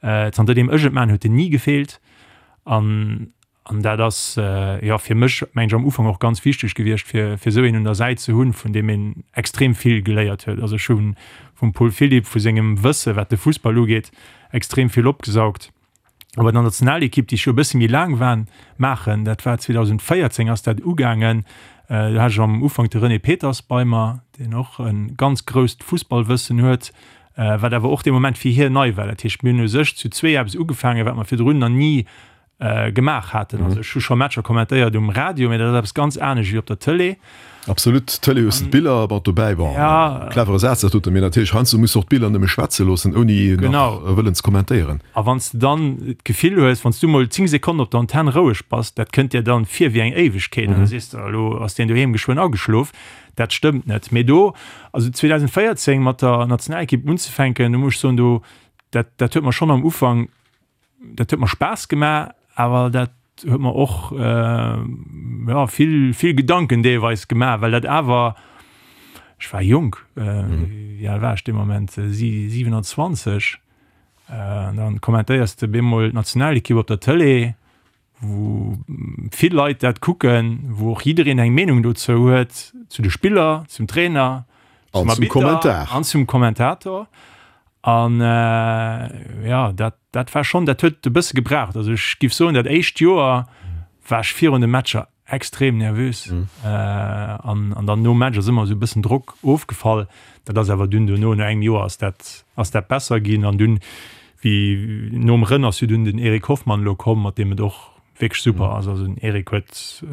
Zanter deem ech et maachen huet en ni gefeelt an An dat ass, jo, fir mech, mengen ech, am Ufank och ganz wichteg gewiescht, fir, fir esou een un der Säit ze hunn, vun deem een extrem vill geléiert huet. Also ech hu vum Paul Philipp, vu sengem Wësse wat de Fussball ugeet, extrem vill opgesaugt. A bei der Nationalekipp, déi ech jo e bësse méi laang war, maachen, dat war 2014 ass dat ugaangen, do hat ech am Ufank de René Peters bei mer, deen och e ganz grousst Fussballwëssen huet, wat awer och dee Moment fir hien nei war. Dat heescht, mir hunn u sech zu zwee eppes ugefaangen, wat mer virdrun nach ni. Gemaach haten. Also ech hu scho Matcher kommentéiert um Radio, mee dat ass eppes ganz anescht wéi op der Tëlee. Absolut, Tëlee hues de d'Biller mat dobäi. Bon, clevere Saz dat doten, mee natierlech heiansdo muss de och d'Biller nëmme schwätze loossen, ouni nach wëllen ze kommentéieren. A wann s de dann d'Gefill hues, wann s du mol 10 Sekonnen op der Antenn roueg bass, dat kënnt dir dann vir wéi eng Éiwegkeet an da sees de, elo ass deen doheem geschwënn ageschlof. Dat stëmmt net. Mee do, also 2014 mat der Nationalekipp unzefänken, do muss ech soen, do, dat, dat huet mer schonn am Ufank dat huet mer Spaass gemaach, awer dat huet mer och ja, vill, vill Gedanken deelweis gemaach, well dat awer, ech war jonk, wéi al war ech dee Moment, 27, an dann kommentéiers de bemol d'Nationalekipp op der Tëlee, wou vill Leit dat kucken, wou och jiddereen eng Meenung dozou huet, zu de Spiller, zum Trainer, zum Arbitter an zum Kommentator. An jo, dat, dat war schonn, dat huet e bësse gebraucht. Also ech giff soen, dat éischt Joer war ech virun de Matcher extrem nervös. An, an dann nom Match ass ëmmer esou e bëssen Drock ofgefall. Dat ass awer dunn dono, no engem Joer ass dat, ass dat besser ginn. An dunn, wéi nom Rënn ass jo dunn den Eric Hoffmann elo komm, mat deem et och wierklech super ass. Also den Eric huet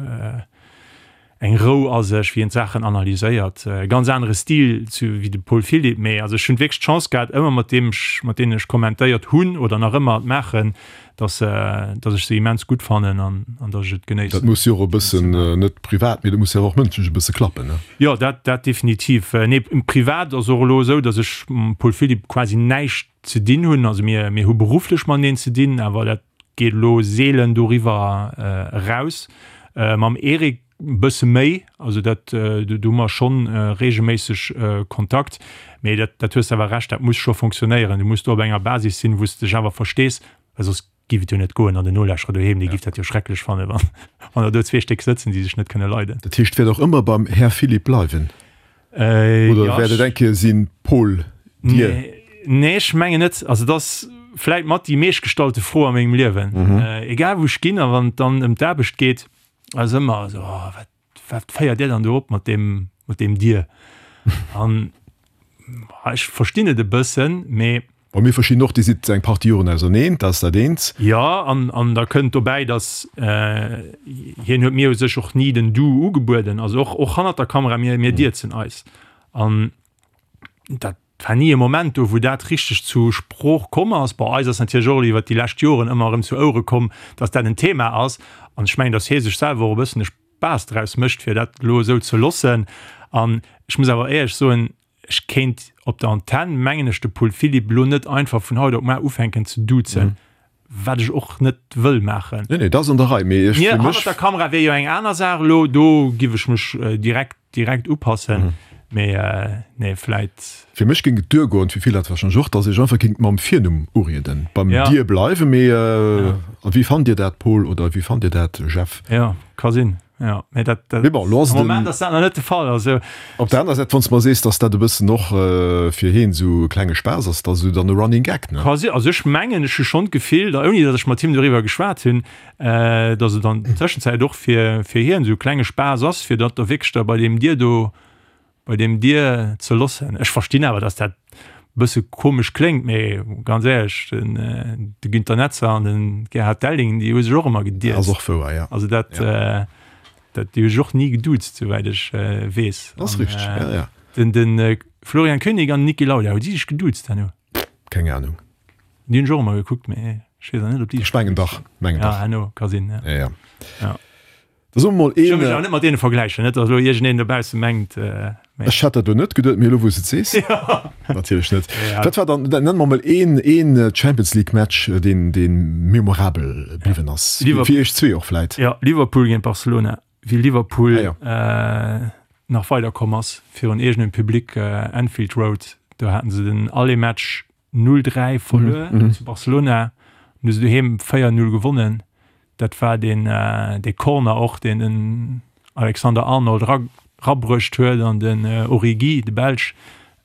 eng Rou a sech, wéi en d'Saachen analyséiert. E ganz anere Stil zu wéi de Paul Philipp. Mee also ech hunn wierklech d'Chance gehat, ëmmer mat deem ech, mat deenen ech kommentéiert hunn oder nach ëmmer maachen, dass, dass ech se immens gutt fannen an, an dass ech et genéissen. Dat muss jo och e bëssen, net privat, mee dat muss jo awer och mënschlech e bësse klappen, ne? Jo, dat, dat definitiv. Nee, privat ass och elo esou, dass ech mam Paul Philipp quasi näischt ze dinn hunn. Also mir, mir hu berufflech mateneen ze dinn, awer dat geet elo seelen doriwwer eraus. Mam Eric e bësse méi, also dat, do hu mer schonn reegelméisseg Kontakt. Mee dat, dat hues de awer Recht, dat muss scho fonctionnéieren. Du muss do op enger Basis sinn, wou s de dech awer verstees, well soss géif et jo net goen. An den Nolauschterer doheem, dee géif dat jo schrecklech fannen, wann, wann der do zwee Stéck sëtzen, déi sech net kënne leiden. Dat heescht, wäert och ëmmer beim Här Philipp bleiwen? Oder ja, wäert et eng Kéier sinn, Paul, Dir? Nee, nee, ech mengen net. Also et ass vläit mat déi meeschtgestallte Fro a mengem Liewen. Mhm. Äh, egal wou ech ginn a wann et dann ëm d'Aarbecht geet, ass ëmmer esou, oh, wat, wat féiert Dir dann do op mat deem, mat deem Dir? An ech verstinn et e bëssen, mee Bon, mir verstinn och, Dir sidd eng Partie Joren auserneen, dat ass dat eent. Jo, an, an da kënnt dobäi, datt hien huet mir u sech och ni den Du ugebueden, also och, och hannert der Kamera, mir, mir dierzen eis. An dat war ni e Moment do, wou dat richteg zu Sprooch komm ass. Bon, eis ass natierlech och iwwert déi lescht Joren ëmmer erëm zu Ouere komm, datt dat en Thema ass. An ech mengen, datt hie sech selwer och e bëssen e Spaass draus mécht, fir dat elo esou ze loossen. An ech muss awer éierlech soen, Ech kéint op der Antenn, mengen ech, de Paul Philipp elo net einfach vun haut op mar ufänken ze duzen, wat ech och net wëll maachen. Nee, nee, dat ass an der Rei, mee ech, fir mech. Hannert der Kamera wier jo eng aner Saach elo, do giff ech mech direkt, direkt upassen, mee nee, vläit. Fir mech géing et duergoen, fir vill Leit warscheinlech och, dass ech einfach géing mam Virnumm urieden, beim Dir bleiwen, mee a wéi fannt Dir dat, Paul, oder wéi fannt Dir dat, Jeff? Jo, ka sinn. Ja, mee dat, dat, Mee bon, lo ass am Moment ass dat nach net de Fall. Also, Op der aner Säit, wann s de mer sees, dass dat e bëssen och fir heen esou e klenge Spaass ass, da ass esou dann e Running Gag, ne? Quasi, also ech mengen, ech hu schonn d'Gefill, da ouni datt ech mat him doriwwer geschwat hunn, datt et an der Tëschenzäit och fir, fir hien esou e klenge Spaass ass, fir dat da wierklech da bei deem Dir do bei deem Dir ze lossen. Ech verstinn awer, dass dat bësse komesch kléngt, mee ganz éierlech, den de Günter Netzer an den Gerhard Delling, déi hu sech och ëmmer gedierzt. Ass och wouer, ja. Also dat, ja. dat déi hu sech och ni geduuzt, souwäit ech weess. Ass richteg, ja, ja. Den, den Florian König an den Niki Lauda, hu si sech geduuzt herno? Keng Ahnung. Déi hunn ech och ëmmer gekuckt, mee ech weess awer net, ob déi sech. Ech mengen dach, mengen dach. Ja, herno ka sinn, ja. Ja, ja. Ja. Da soe mer mol een. Ech wëll mech awer net mat deene vergläichen, net datt elo iergendeen dobausse mengt, mee. Ech hat dat elo net geduet, mee elo wou s de et sees. Natierlech net. Wat war dann, nenn mer mol een, een Champions League Match, deen, dee memorabel bliwwen ass, fir iech zwee och vläit. Jo, Liverpool géint Barcelona, wéi Liverpool nach weiderkomm ass virun eegenem Public, Anfield Road, do haten se den Aller-Match 0, 3 verluer zu Barcelona, an hu se doheem 4, 0 gewonnen. Dat war deen dee Corner och, deen den Alexander Arnold ra rabruecht huet an den Origi, de Belsch,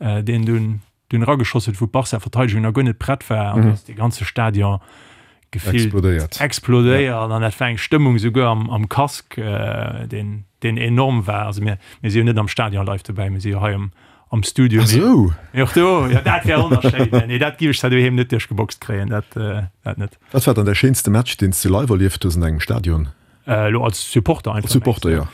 deen dunn dunn erageschoss huet, wou d'Barca-Verteidegung nach guer net prett war. An do ass dee ganze Stadion gefillt Explodéiert. explodéiert an dat war eng Stëmmung souguer am am Casque, deen deen enorm war. Also mir mir si jo net am Stadion live dobäi, mir si jo hei am. Am Studio. Ah sou. Mee och do, jo, dat wär wonnerschéin. Nee, dat giff ech zwar doheem net duerchgeboxt kréien, dat, dat net. Wat war dann däi schéinste Match, deen s de live erlieft hues an engem Stadion? Elo als Supporter einfach? Als Supporter, jo.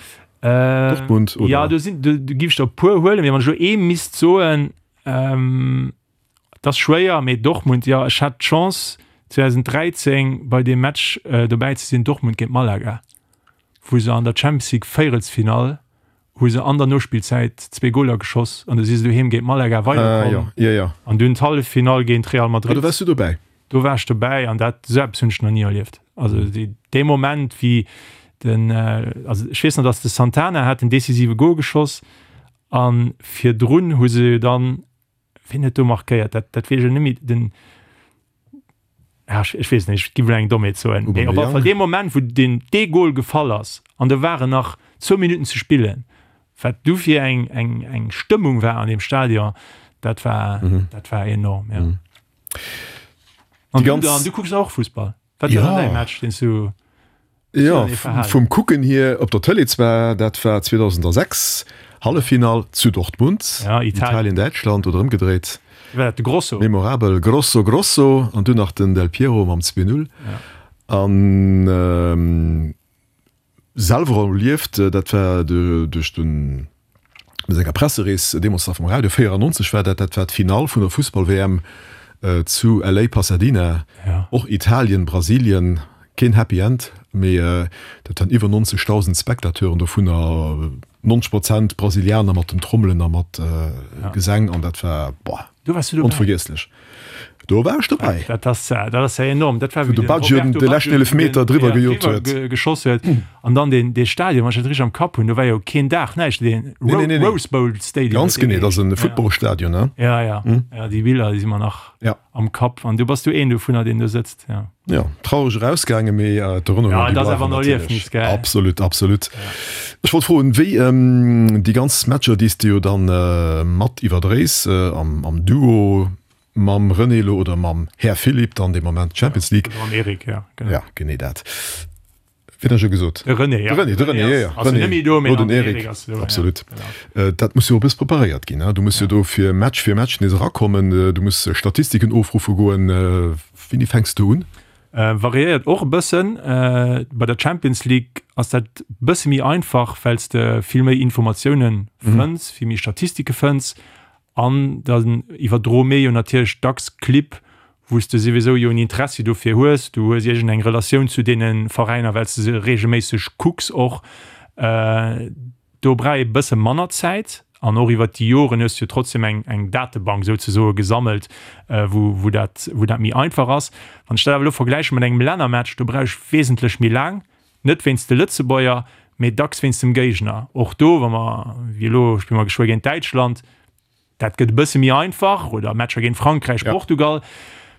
Dortmund oder? Ja, do sinn, do, do giff ech der e puer huelen, mee wann ech elo ee misst soen, et ass schwéier, mee Dortmund, jo. Ech hat d'Chance 2013 bei deem Match dobäi ze sinn, Dortmund géint Malaga, wou se an der Champions League Véierelsfinall hu se an der Nospillzäit zwee Goler geschoss an du si se doheem géint Malaga weiderkomm. Ah, jo, jo, jo. An dunn d'Halleffinall géint Real Madrid. Ah, do waars du dobäi? Do war ech dobäi an dat, esou eppes hunn ech nach ni erlieft. Also déi, dee Moment, wéi den, also ech weess nach, datt de Santana hat den decisive Gol geschoss a virdrun hu se jo dann, Wien huet do markéiert? Dat, dat weess ech net méi. Den, ja, ech, ech weess net, ech gi wuel eng Dommheet soen. Mee op alle Fall dee Moment, wou den, dee Gol gefall ass an do waren nach zwou Minutten ze spillen, wat du fir eng, eng, eng Stëmmung war an deem Stadion, dat war, mhm. dat war enorm. Ja. Mhm. An du, dann, du kucks och Fussball. Wat war dann däi Match, deen s du Jo, vum Kucken hier op der Tëlee zwar, dat war 2006, Halleffinall zu Dortmund, ja, Italien, Däitschland oder ëmgedréit. War dat de Grosso? Memorabel, Grosso, Grosso an dunn nach den Del Piero mam 2-0. Ja. An Selwer erlieft, dat war duerch den senger Presserees deemools nach vum Radio, 94 war dat, dat war d'Finall vun der Fussball-WM zu LA, Pasadena, och Italien, Brasilien, keen Happy End, mee dat waren iwwer 90.000 Spectateuren, dovunner 90 Prozent Brasilianer mat den Trommelen a mat Gesäng an dat war, boah, onvergiesslech. Do war ech dobäi. Dat ass, dat ass ja enorm. Dat war wéi de Baggio de leschten Eelefmeter driwwer gejot huet. Geschoss huet. An dann deen, dee Stadion, wann ech dat richteg am Kapp hunn, do war jo keen Daach, näischt, deen Rose Bowl Stadium. Ganz genee, dat ass e Footballstadion, ne? Ja, ja. Ja, déi Biller, déi si mer nach am Kapp. An du bass du een dovunner, deen do sëtzt, ja. Jo, traureg erausgaangen, mee d'Erënnerungen, déi bleiwen natierlech. Absolut, absolut. Ech wollt froen, wéi déi ganz Matcher, déi s de jo dann mat iwwerdréis am Duo, Mam René elo oder mam Här Philippe dann dee Moment d'Champions League. Oder mam Eric, ja, genau. Ja, genee dat. Wien hat ech elo gesot? De René, ja. De René, de René, ja, ja. Ass net méi do, mee den Eric ass do. Absolut. Genau. Dat muss jo och e bëss preparéiert ginn, ne? Du muss jo do fir Match fir Match nees erakommen, du muss Statistiken ofruffe goen. Wéini fänks du un? Variéiert och e bëssen. Bei der Champions League ass dat bësse méi einfach, well s de vill méi Informatiounen fënns, vill méi Statistike fënns. An dann iwwerdroe mir jo natierlech dacks Clibb, wou s de souwisou jo en Interessi dofir hues. Du hues iergend eng Relatioun zu deene Veräiner, well s de se reegelméisseg kucks och. Do brauch ee bësse manner Zäit. An och iwwert déi Joren hues de jo trotzdem eng, eng Datebank souzesoe gesammelt, wou, wou dat, wou dat méi einfach ass. Wann ech dat awer elo vergläiche mat engem Lännermatch, do brauch ech wesentlech méi laang. Net wéinst de Lëtzebuerger, mee dacks wéinst dem Géigner. Och do, wa mer, wéi elo spille mer geschwë géint Däitschland, dat gëtt e bësse méi einfach, oder Matcher géint Frankräich, Portugal.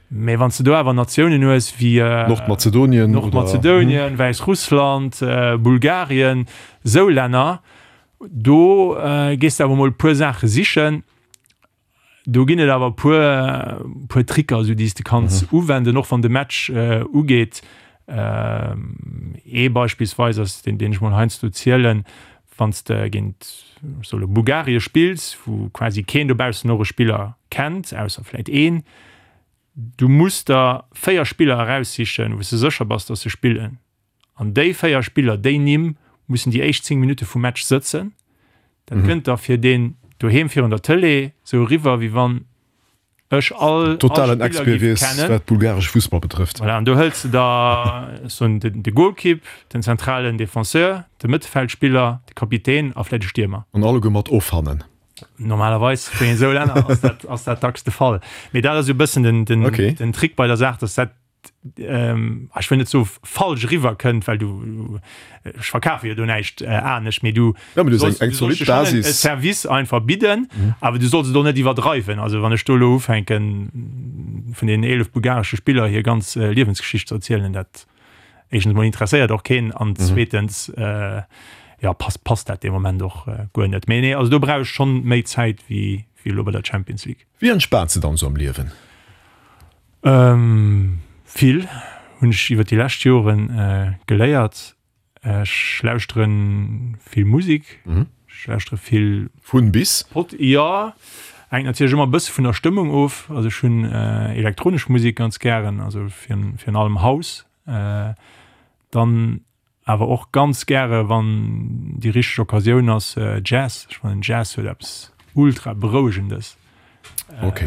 Mee wann s de do awer Natiounen hues wéi Nordmazedonien, Nordmazedonien, Wäissrussland, Bulgarien, esou Länner, do gees de awer mol e puer Saache sichen. Do ginn et awer puer puer Tricker esou déi s de kanns mhm. uwenden, och wann de Match äh, ugeet. Ähm, ee beispielsweis ass den den ech mol heiansdo zielen, wann s de géint solle Bulgarie spills, wou quasi keen dobaussen och e Spiller kennt, ausser vläit een. Du muss der 4 Spiller eraussichen, wou s de sécher bass, dass se spillen. An déi 4 Spiller, déi Nimm mussen déi éischt 10 Minutte vum Match sëtzen. Dat kënnt da fir deen doheem virun der Tëlee sou eriwwer, wéi wann ech all, all Totalen Spiller Expert géif wiers, kennen. wat bulgaresche Fussball betrëfft. Voilà, an do hëls de da, ech soen, den, de Golkipp, den zentralen Defenseur, de Mëttelfeldspiller, de Kapitän a vläicht e Stiermer. An alleguer mat ofhannen. Normalerweis bei esou Länner ass dat, ass dat dacks de Fall. Mee dat ass esou e bëssen den, den, Okay. den Trick bei der Saach, dass dat ähm, ech wëll net so falsch riwwer kënnt, well du ech verkafe jo do näischt äh, anescht, mee du, ja, du sollst, eng, eng du sollst Basis. e Service einfach bidden, mhm. awer du solls et och net iwwerdreiwen. Also wann ech do lo ufänken vun den 11 bulgaresche Spiller hir ganz äh, Liewensgeschicht ze erzielen, dat éischtens mol interesséiert och keen an mhm. zweetens äh, ja passt passt dat de Moment och äh, guer net. Mee nee, also do brauch ech schon méi Zäit wéi wéi lo bei der Champions League. Wéi entspaans de dann sou am Liewen? Vill hunn ech iwwer déi lescht Joren geléiert. Ech lauschtere vill Musek. Ech. Ech lauschtere vill. Vun bis? Pod, jo. Hänkt natierlech ëmmer e bësse vun der Stëmmung of. Also ech hunn elektronesch Musek ganz gären, also virun allem House. Dann awer och ganz gäre wann déi richteg Occasioun ass, Jazz. Ech fannen Jazz huet eppes ultra berouegendes. Ok,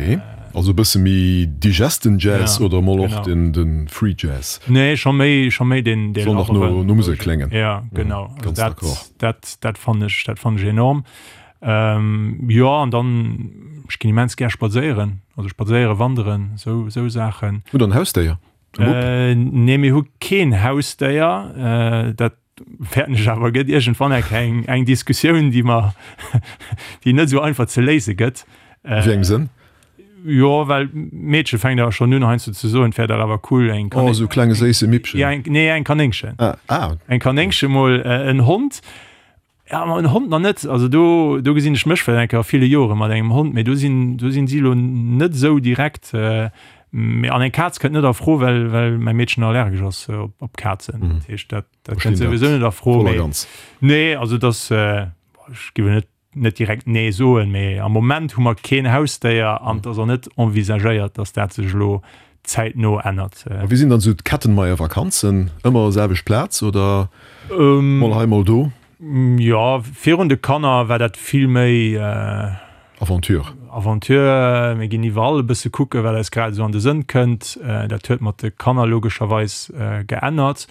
also e bësse méi digesten Jazz oder mol och den Free Jazz? Nee, scho méi, scho méi deen Soll nach no no Musek kléngen. Ja, genau. Also dat, dat, dat fannen ech, dat fannen ech enorm. Jo, an dann, ech ginn immens gär spadséieren, also spadséieren, wanderen, sou, sou Saachen. Hutt der en Hausdéier? Nee, mir hu keen Hausdéier. Dat fäerten ech awer gëtt iergendwann eng eng eng Diskussioun, déi mer déi net esou einfach ze léise gëtt. A wéi engem Sënn? Jo, well d'Meedche fänkt awer schonn un heiansdo ze soen, et wär dach awer cool eng Kanéng. Oh, esou e klenge séisse Mippchen. Ja, eng, nee, eng Kanéngchen. Ah, ah. Eng Kanéngche mol, en Hond. Ja, ma en Hond nach net. Also do, do gesinn ech mech vläicht eng Kéier a ville Jore mat engem Hond, mee do sinn, do sinn si elo net esou direkt. Mee an eng Kaz kënnt net a Fro, well, well mäi Meedchen allergesch ass op, op Kazen. Dat heescht, dat, dat kënnt souwisou net a Fro. Voll a ganz. Nee, also dass, ech géif elo net, net direkt nee soen, mee am Moment hu mer keen Hausdéier an et ass och net envisagéiert, dass dat sech elo zäitno ännert. A wéi sinn dann esou d'Kettenmeyer Vakanzen? Ëmmer selwecht Plaz oder mol hei mol do? Jo, virun de Kanner war dat vill méi Aventure. Aventure. Mir ginn iwwerall e bësse kucken, wat eis grad esou an de Sënn kënnt. Dat huet mat de Kanner logescherweis geännert.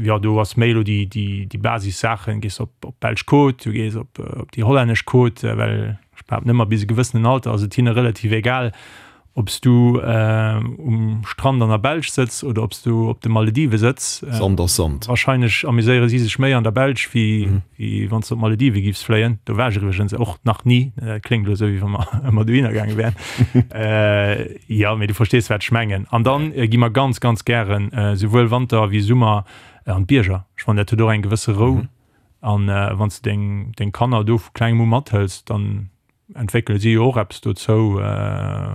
Jo, do ass méi elo déi, déi, déi Basissaachen. Gees op, op d'belsch Côte, du gees op, op déi hollännesch Côte, well ech behaapten ëmmer, bis e gewëssenen Alter ass et hinne relativ egal, Ob s du um Strand an der Belsch sëtz oder ob s du op de Maledive sëtz. Sand ass Sand. Wahrscheinlech amuséiere si sech méi an der Belsch, wéi wann s du op d'Maledive giffs fléien. Do war ech iwwregens och nach ni. Dat kléngt elo esou, wéi wa mer ëmmer dohinner gaange wären. Jo, mee du verstees, wat ech mengen. An dann gi mer ganz, ganz gären, souwuel Wanter wéi Summer, an d'Bierger. Ech fannen, dat huet och eng gewësse Rou. An wann s du deng Kanner do vu klengem u mathëls, dann entwéckele si jo och eppes dozou,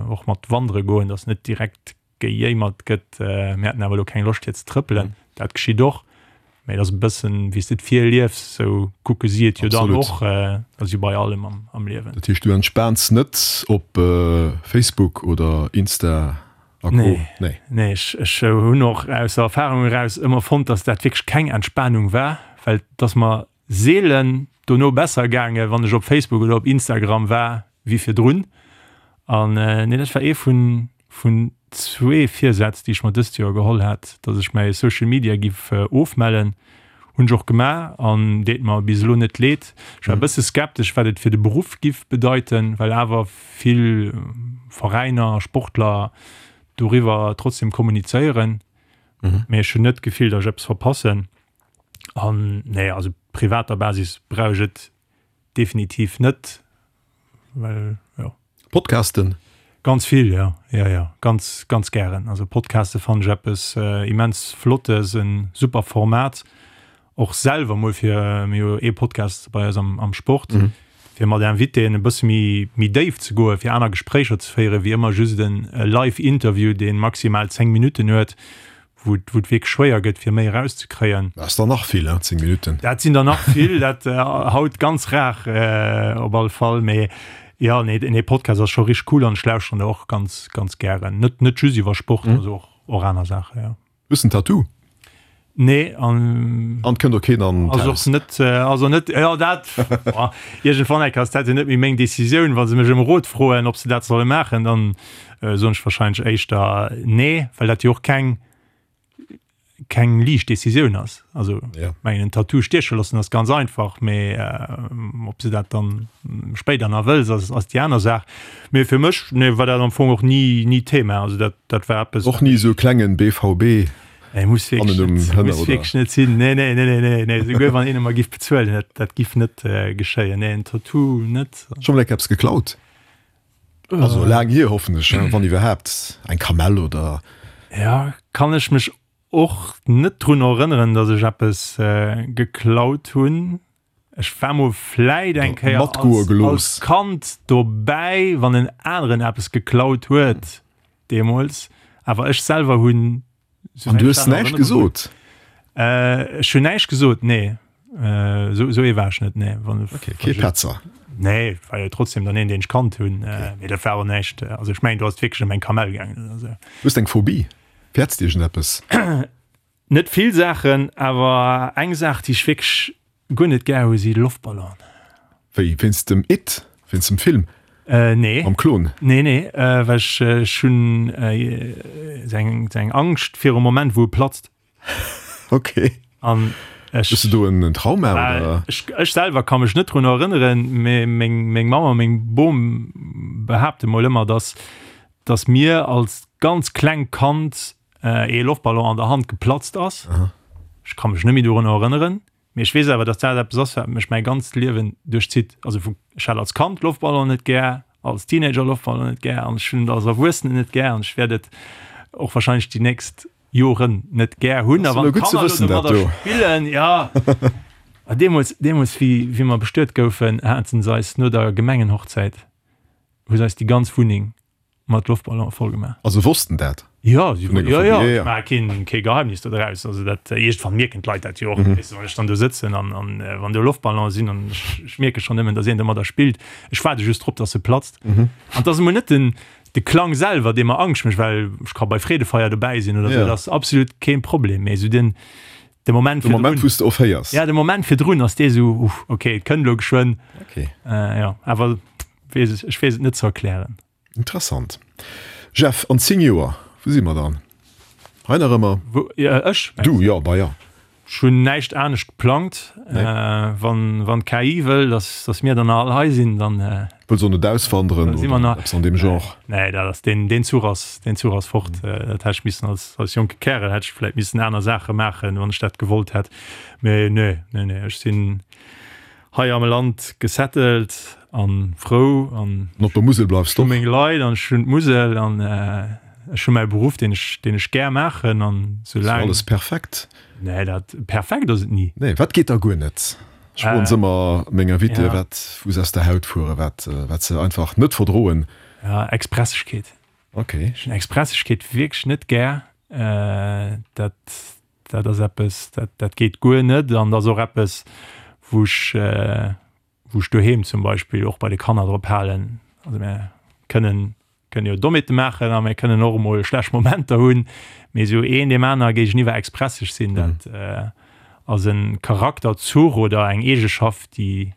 och mat wandere goen, datt net direkt gejéimert gëtt, mir hätten awer elo keng Loscht fir ze trëppelen. Dat geschitt och, mä et ass e bëssen, wéi s de et virliefs, esou kucke si et jo dann och. Dat ass jo bei allem am Liewen. Dat heescht, du entspaans net op Facebook oder Insta a Co? Nee, nee, ech hunn och aus der Erfarung eraus ëmmer fonnt, datt dat wierklech keng Entspanung war, well et ass mer Seelen dono besser gaange wann ech op Facebook oder op Instagram war wéi virdrun. An nee, dat war ee vun vun zwee Virsätz, déi ech mer dëst Joer geholl hat, datt ech mäi Social Media giff ofmellen. Hunn ech och gemaach an deet mer bis elo net leed. Ech war e bësse skeptesch, wat et fir de Beruff giff bedeiten, well awer vill Veräiner a Sportler doriwwer trotzdem kommunizéieren. Mee ech hunn net d'Gefill, datt ech eppes verpassen. An nee, also privater Basis brauch ech et definitiv net, well jo. Podcasten? Ganz vill, jo, jo, jo, ganz, ganz gären. Also Podcaste fannen ech eppes immens Flottes, e super Format, och selwer mol fir, mir hu jo ee Podcast bei eis am, am Sport, fir mat Invitéen e bësse méi, méi déif ze goen, fir aner Gespréicher ze féieren, wéi ëmmer just en Live-Interview, dee maximal 10 Minutten huet, wou et wierklech schwéier gëtt, fir méi erauszekréien. Dat ass der nach vill, hein, 10 Minutten. Dat sinn der nach vill, dat haut ganz rar op alle Fall. Mee jo, nee, nee, Podcast ass scho richteg cool an ech lauschteren der och ganz, ganz gären. Net, net just iwwer Sport, also och, och aner Saachen, jo. Hues de en Tattoo? Nee, an. An et kënnt och keen an d'Haus? Ass och net, also net, jo dat, iergendwann eng Kéier ass dat jo net méi meng Decisioun. Wa se mech ëm Rot froen, ob se dat solle maachen, dann soen ech wahrscheinlech éischter nee, well dat jo och keng keng liicht Decisioun ass. Also ja. mengen en Tattoo stieche loossen ass ganz einfach, mee äh, ob se dat dann spéider nach wëlls, ass, ass déi aner Saach. Mee fir mech nee, war dat am Fong och ni ni Thema. Also dat, dat war eppes. Och ni esou klengen BVB. Nee, muss wierklech net, muss wierklech net sinn. Nee, nee, nee, nee, nee, nee. Souguer wann een emmer giff bezuelen, dat, dat giff net äh, geschéien. Nee, en Tattoo net. Scho mol eng eppes geklaut? Also laang hier hoffen ech, wann iwwerhaapt, eng Kamell oder. Ja, kann ech mech och net drun erënneren, datt ech eppes geklaut hunn. Ech war mol vläit eng Kéier Matgoe als, gelooss. als Kand dobäi, wann en aneren eppes geklaut huet deemools, awer ech selwer hunn An du hues näischt gesot? Ech hunn näischt gesot, nee. Esou esou ee war ech net, nee. Wann, Okay, kee Petzer. Nee, war jo trotzdem dann een, deen ech kannt hunn. Mee dat war och näischt, also ech mengen, do ass et wierklech ëm eng Kamell gaangen oder esou. Hues de eng Phobie? Fäerts de iergendeppes? Net vill Saachen, awer eng Saach, déi ech wierklech guer net gär hu si Loftballonen. Wéi, wéinst dem It? Wéinst dem Film? Nee. Mam Klon? Nee, nee, well ech, ech hunn esou eng, esou eng Angscht virum Moment, wou e platzt. Ok. An ech. Hues de do en Trauma, oder? Ech, ech selwer ka mech net drun erënneren, mee meng, meng Mamm a meng Bom behaapte mol ëmmer, dass, dass mir als ganz klengt Kand ee Loftballon an der Hand geplatzt ass. Ech ka mech net méi dorunner erënneren, mee ech weess awer, datt dat eppes ass, wat mech mäi ganzt Liewen duerchzitt. Also vu, ech hat als Kand Loftballon net gär, als Teenager Loftballon net gär an ech hunn et als Erwuessenen net gär an ech wäert et och wahrscheinlech déi nächst Joren net gär hunn. A wann d'Kanner elo domadder spillen, jo. A deemools, deemools wéi, wéi mer bestuet goufen, haten se eis no der Gemengenhochzäit, hu se eis déi ganz Wunneng mat Loftballone voll gemaach. Also wossten dat? Jo, si jo, jo, ech maache keen, kee Geheimnis do draus. Also dat, iergendwann mierken d'Leit dat jo och, weess de, wann ech dann do sëtzen an, an wann do Loftballone sinn an ech, ech mierke schonn nëmmen, datt een domadder spillt. Ech waarde just drop, datt se platzt. An et ass emol net den, de Klang selwer, dee mer Angscht mécht, well ech ka bei Freedefeier dobäi sinn oder esou, dat ass absolut keen Problem, mee esou den, de Moment De Moment, wou s de ofhéiers. Ja, de Moment virdrun ass dee esou, uff, okay, et kënnt elo geschwënn. Okay. Jo, awer Wees, ech wees et net ze erklären. Interessant. Jeff, an 10 Joer, wou si mer dann? Hei nach ëmmer? Wou, ja, ech? Du, jo, bah ja. Ech hunn näischt anescht geplangt. Nee. Wann, wann d'KI wëll, dass, dass mir dann nach all hei sinn, dann. Wëll se och net auswanderen da si mer oder nach. eppes an deem Genre? Nee, dat ass, deen, deen Zuch ass, deen Zuch ass fort. Dat hätt ech missen als, als jonke Kärel hätt ech vläit missen aner Saache maachen, wann ech dat gewollt hätt. Mee nee, nee, nee, ech sinn. Hei am Land gesettelt an frou an An op der Musel bleifs ech hu meng Leit an ech hunn d'Musel an ech hu mäi Beruff deen ech deen ech gär maachen an sou laang. Ass alles perfekt? Nee dat perfekt ass et ni. Nee wat geet da guer net? Ech froen se ëmmer meng Invitéë wat wou se aus der Haut fueren, wat wat se einfach net verdroen. Ja Expressegkeet. Ok. Ech hunn Expressegkeet wierklech net gär. Dat Dat ass eppes, dat, dat geet guer net. An dat ass och eppes, wou ech, wou ech doheem zum Beispill och bei de Kanner drop halen. Also mir kënnen, kënnen jo Dommheete maachen a mir kënnen och emol schlecht Momenter hunn, mee esou een deem aner géigeniwwer expresseg sinn, dat ass e Charakterzuch oder eng Eegeschaft, déi,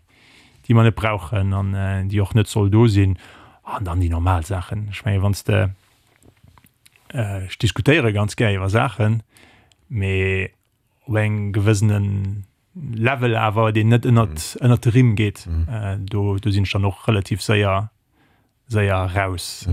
déi mer net brauchen an déi och net soll do sinn. An dann déi normal Saachen. Ech menge wann s de Ech diskutéiere ganz gär iwwer Saachen, mee op engem gewëssene Level awer, deen net ënnert, ënnert de Rimm geet. Do, do sinn ech dann och relativ séier, séier raus.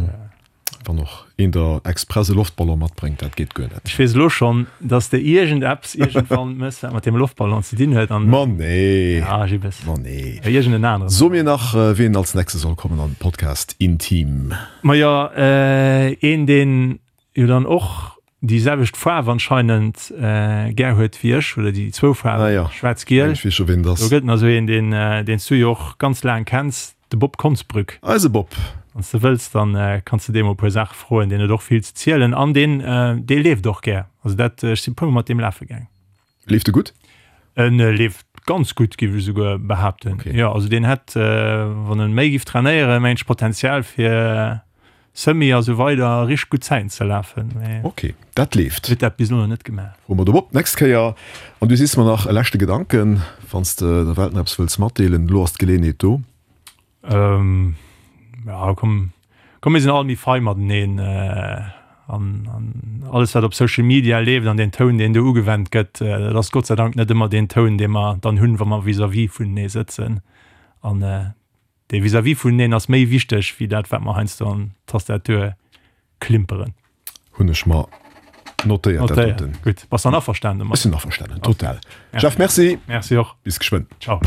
Wann och een der express e Loftballon matbréngt, dat geet guer net. Ech weess elo schonn, dass de iergendeppes iergendwann mëss, wat mat deem Loftballon ze dinn huet. An Ma nee! Ja, Jibbes. Ma nee. Iergend en aneren. So mir nach, wien als nächste soll kommen an den Podcast Intim. Majo, een deen jo dann och déi selwecht Faarf anscheinend gär huet wéi ech, oder déi zwou Faarwen, Ah jo, schwaarz-giel. ech weess scho ween et ass. Do gëtt nach esou een, deen deen s du jo och ganz laang kenns, de Bob Konsbrück. Eise Bob. Wann s de wëlls, dann kanns de deem mol e puer Saache froen, deen huet och vill ze zielen an deen dee leeft och gär. Also dat, ech si e puermol mat deem lafe gaang. Leeft e gutt? En leeft ganz gutt, géif ech esouguer behaapten. Okay. Jo, also deen hätt, wann en méi géif trainéieren, mengen ech, Potenzial fir Semi a sou weider richteg gutt Zäiten ze lafen. Mee Okay, dat leeft. huet dat bis elo nach net gemaach. Froe mer de Bob d'nächst Kéier. An du sees mer nach e leschte Gedanken, wann s de der Welt nach eppes wëlls matdeelen. Elo ass d'Geleeënheet do. Ähm, ja, komm, komm mir sinn all méi fei mateneen äh, an, an alles wat op Social Media leeft an den Toun deen do ugewennt gëtt, äh, dat ass Gott sei Dank net ëmmer deen Toun dee mer dann hunn, wa mer vis-à-vis vunenee sëtzen. An äh, dee vis-à-vis vuneneen ass méi wichteg wéi dat wat mer heiansdo an d'Tastatur klimperen. Hunn ech mer notéiert, dat doten. Gutt, bass dann averstanen domat? Ech sinn averstanen, total. Jeff, merci. Merci och. Bis geschwënn. Ciao.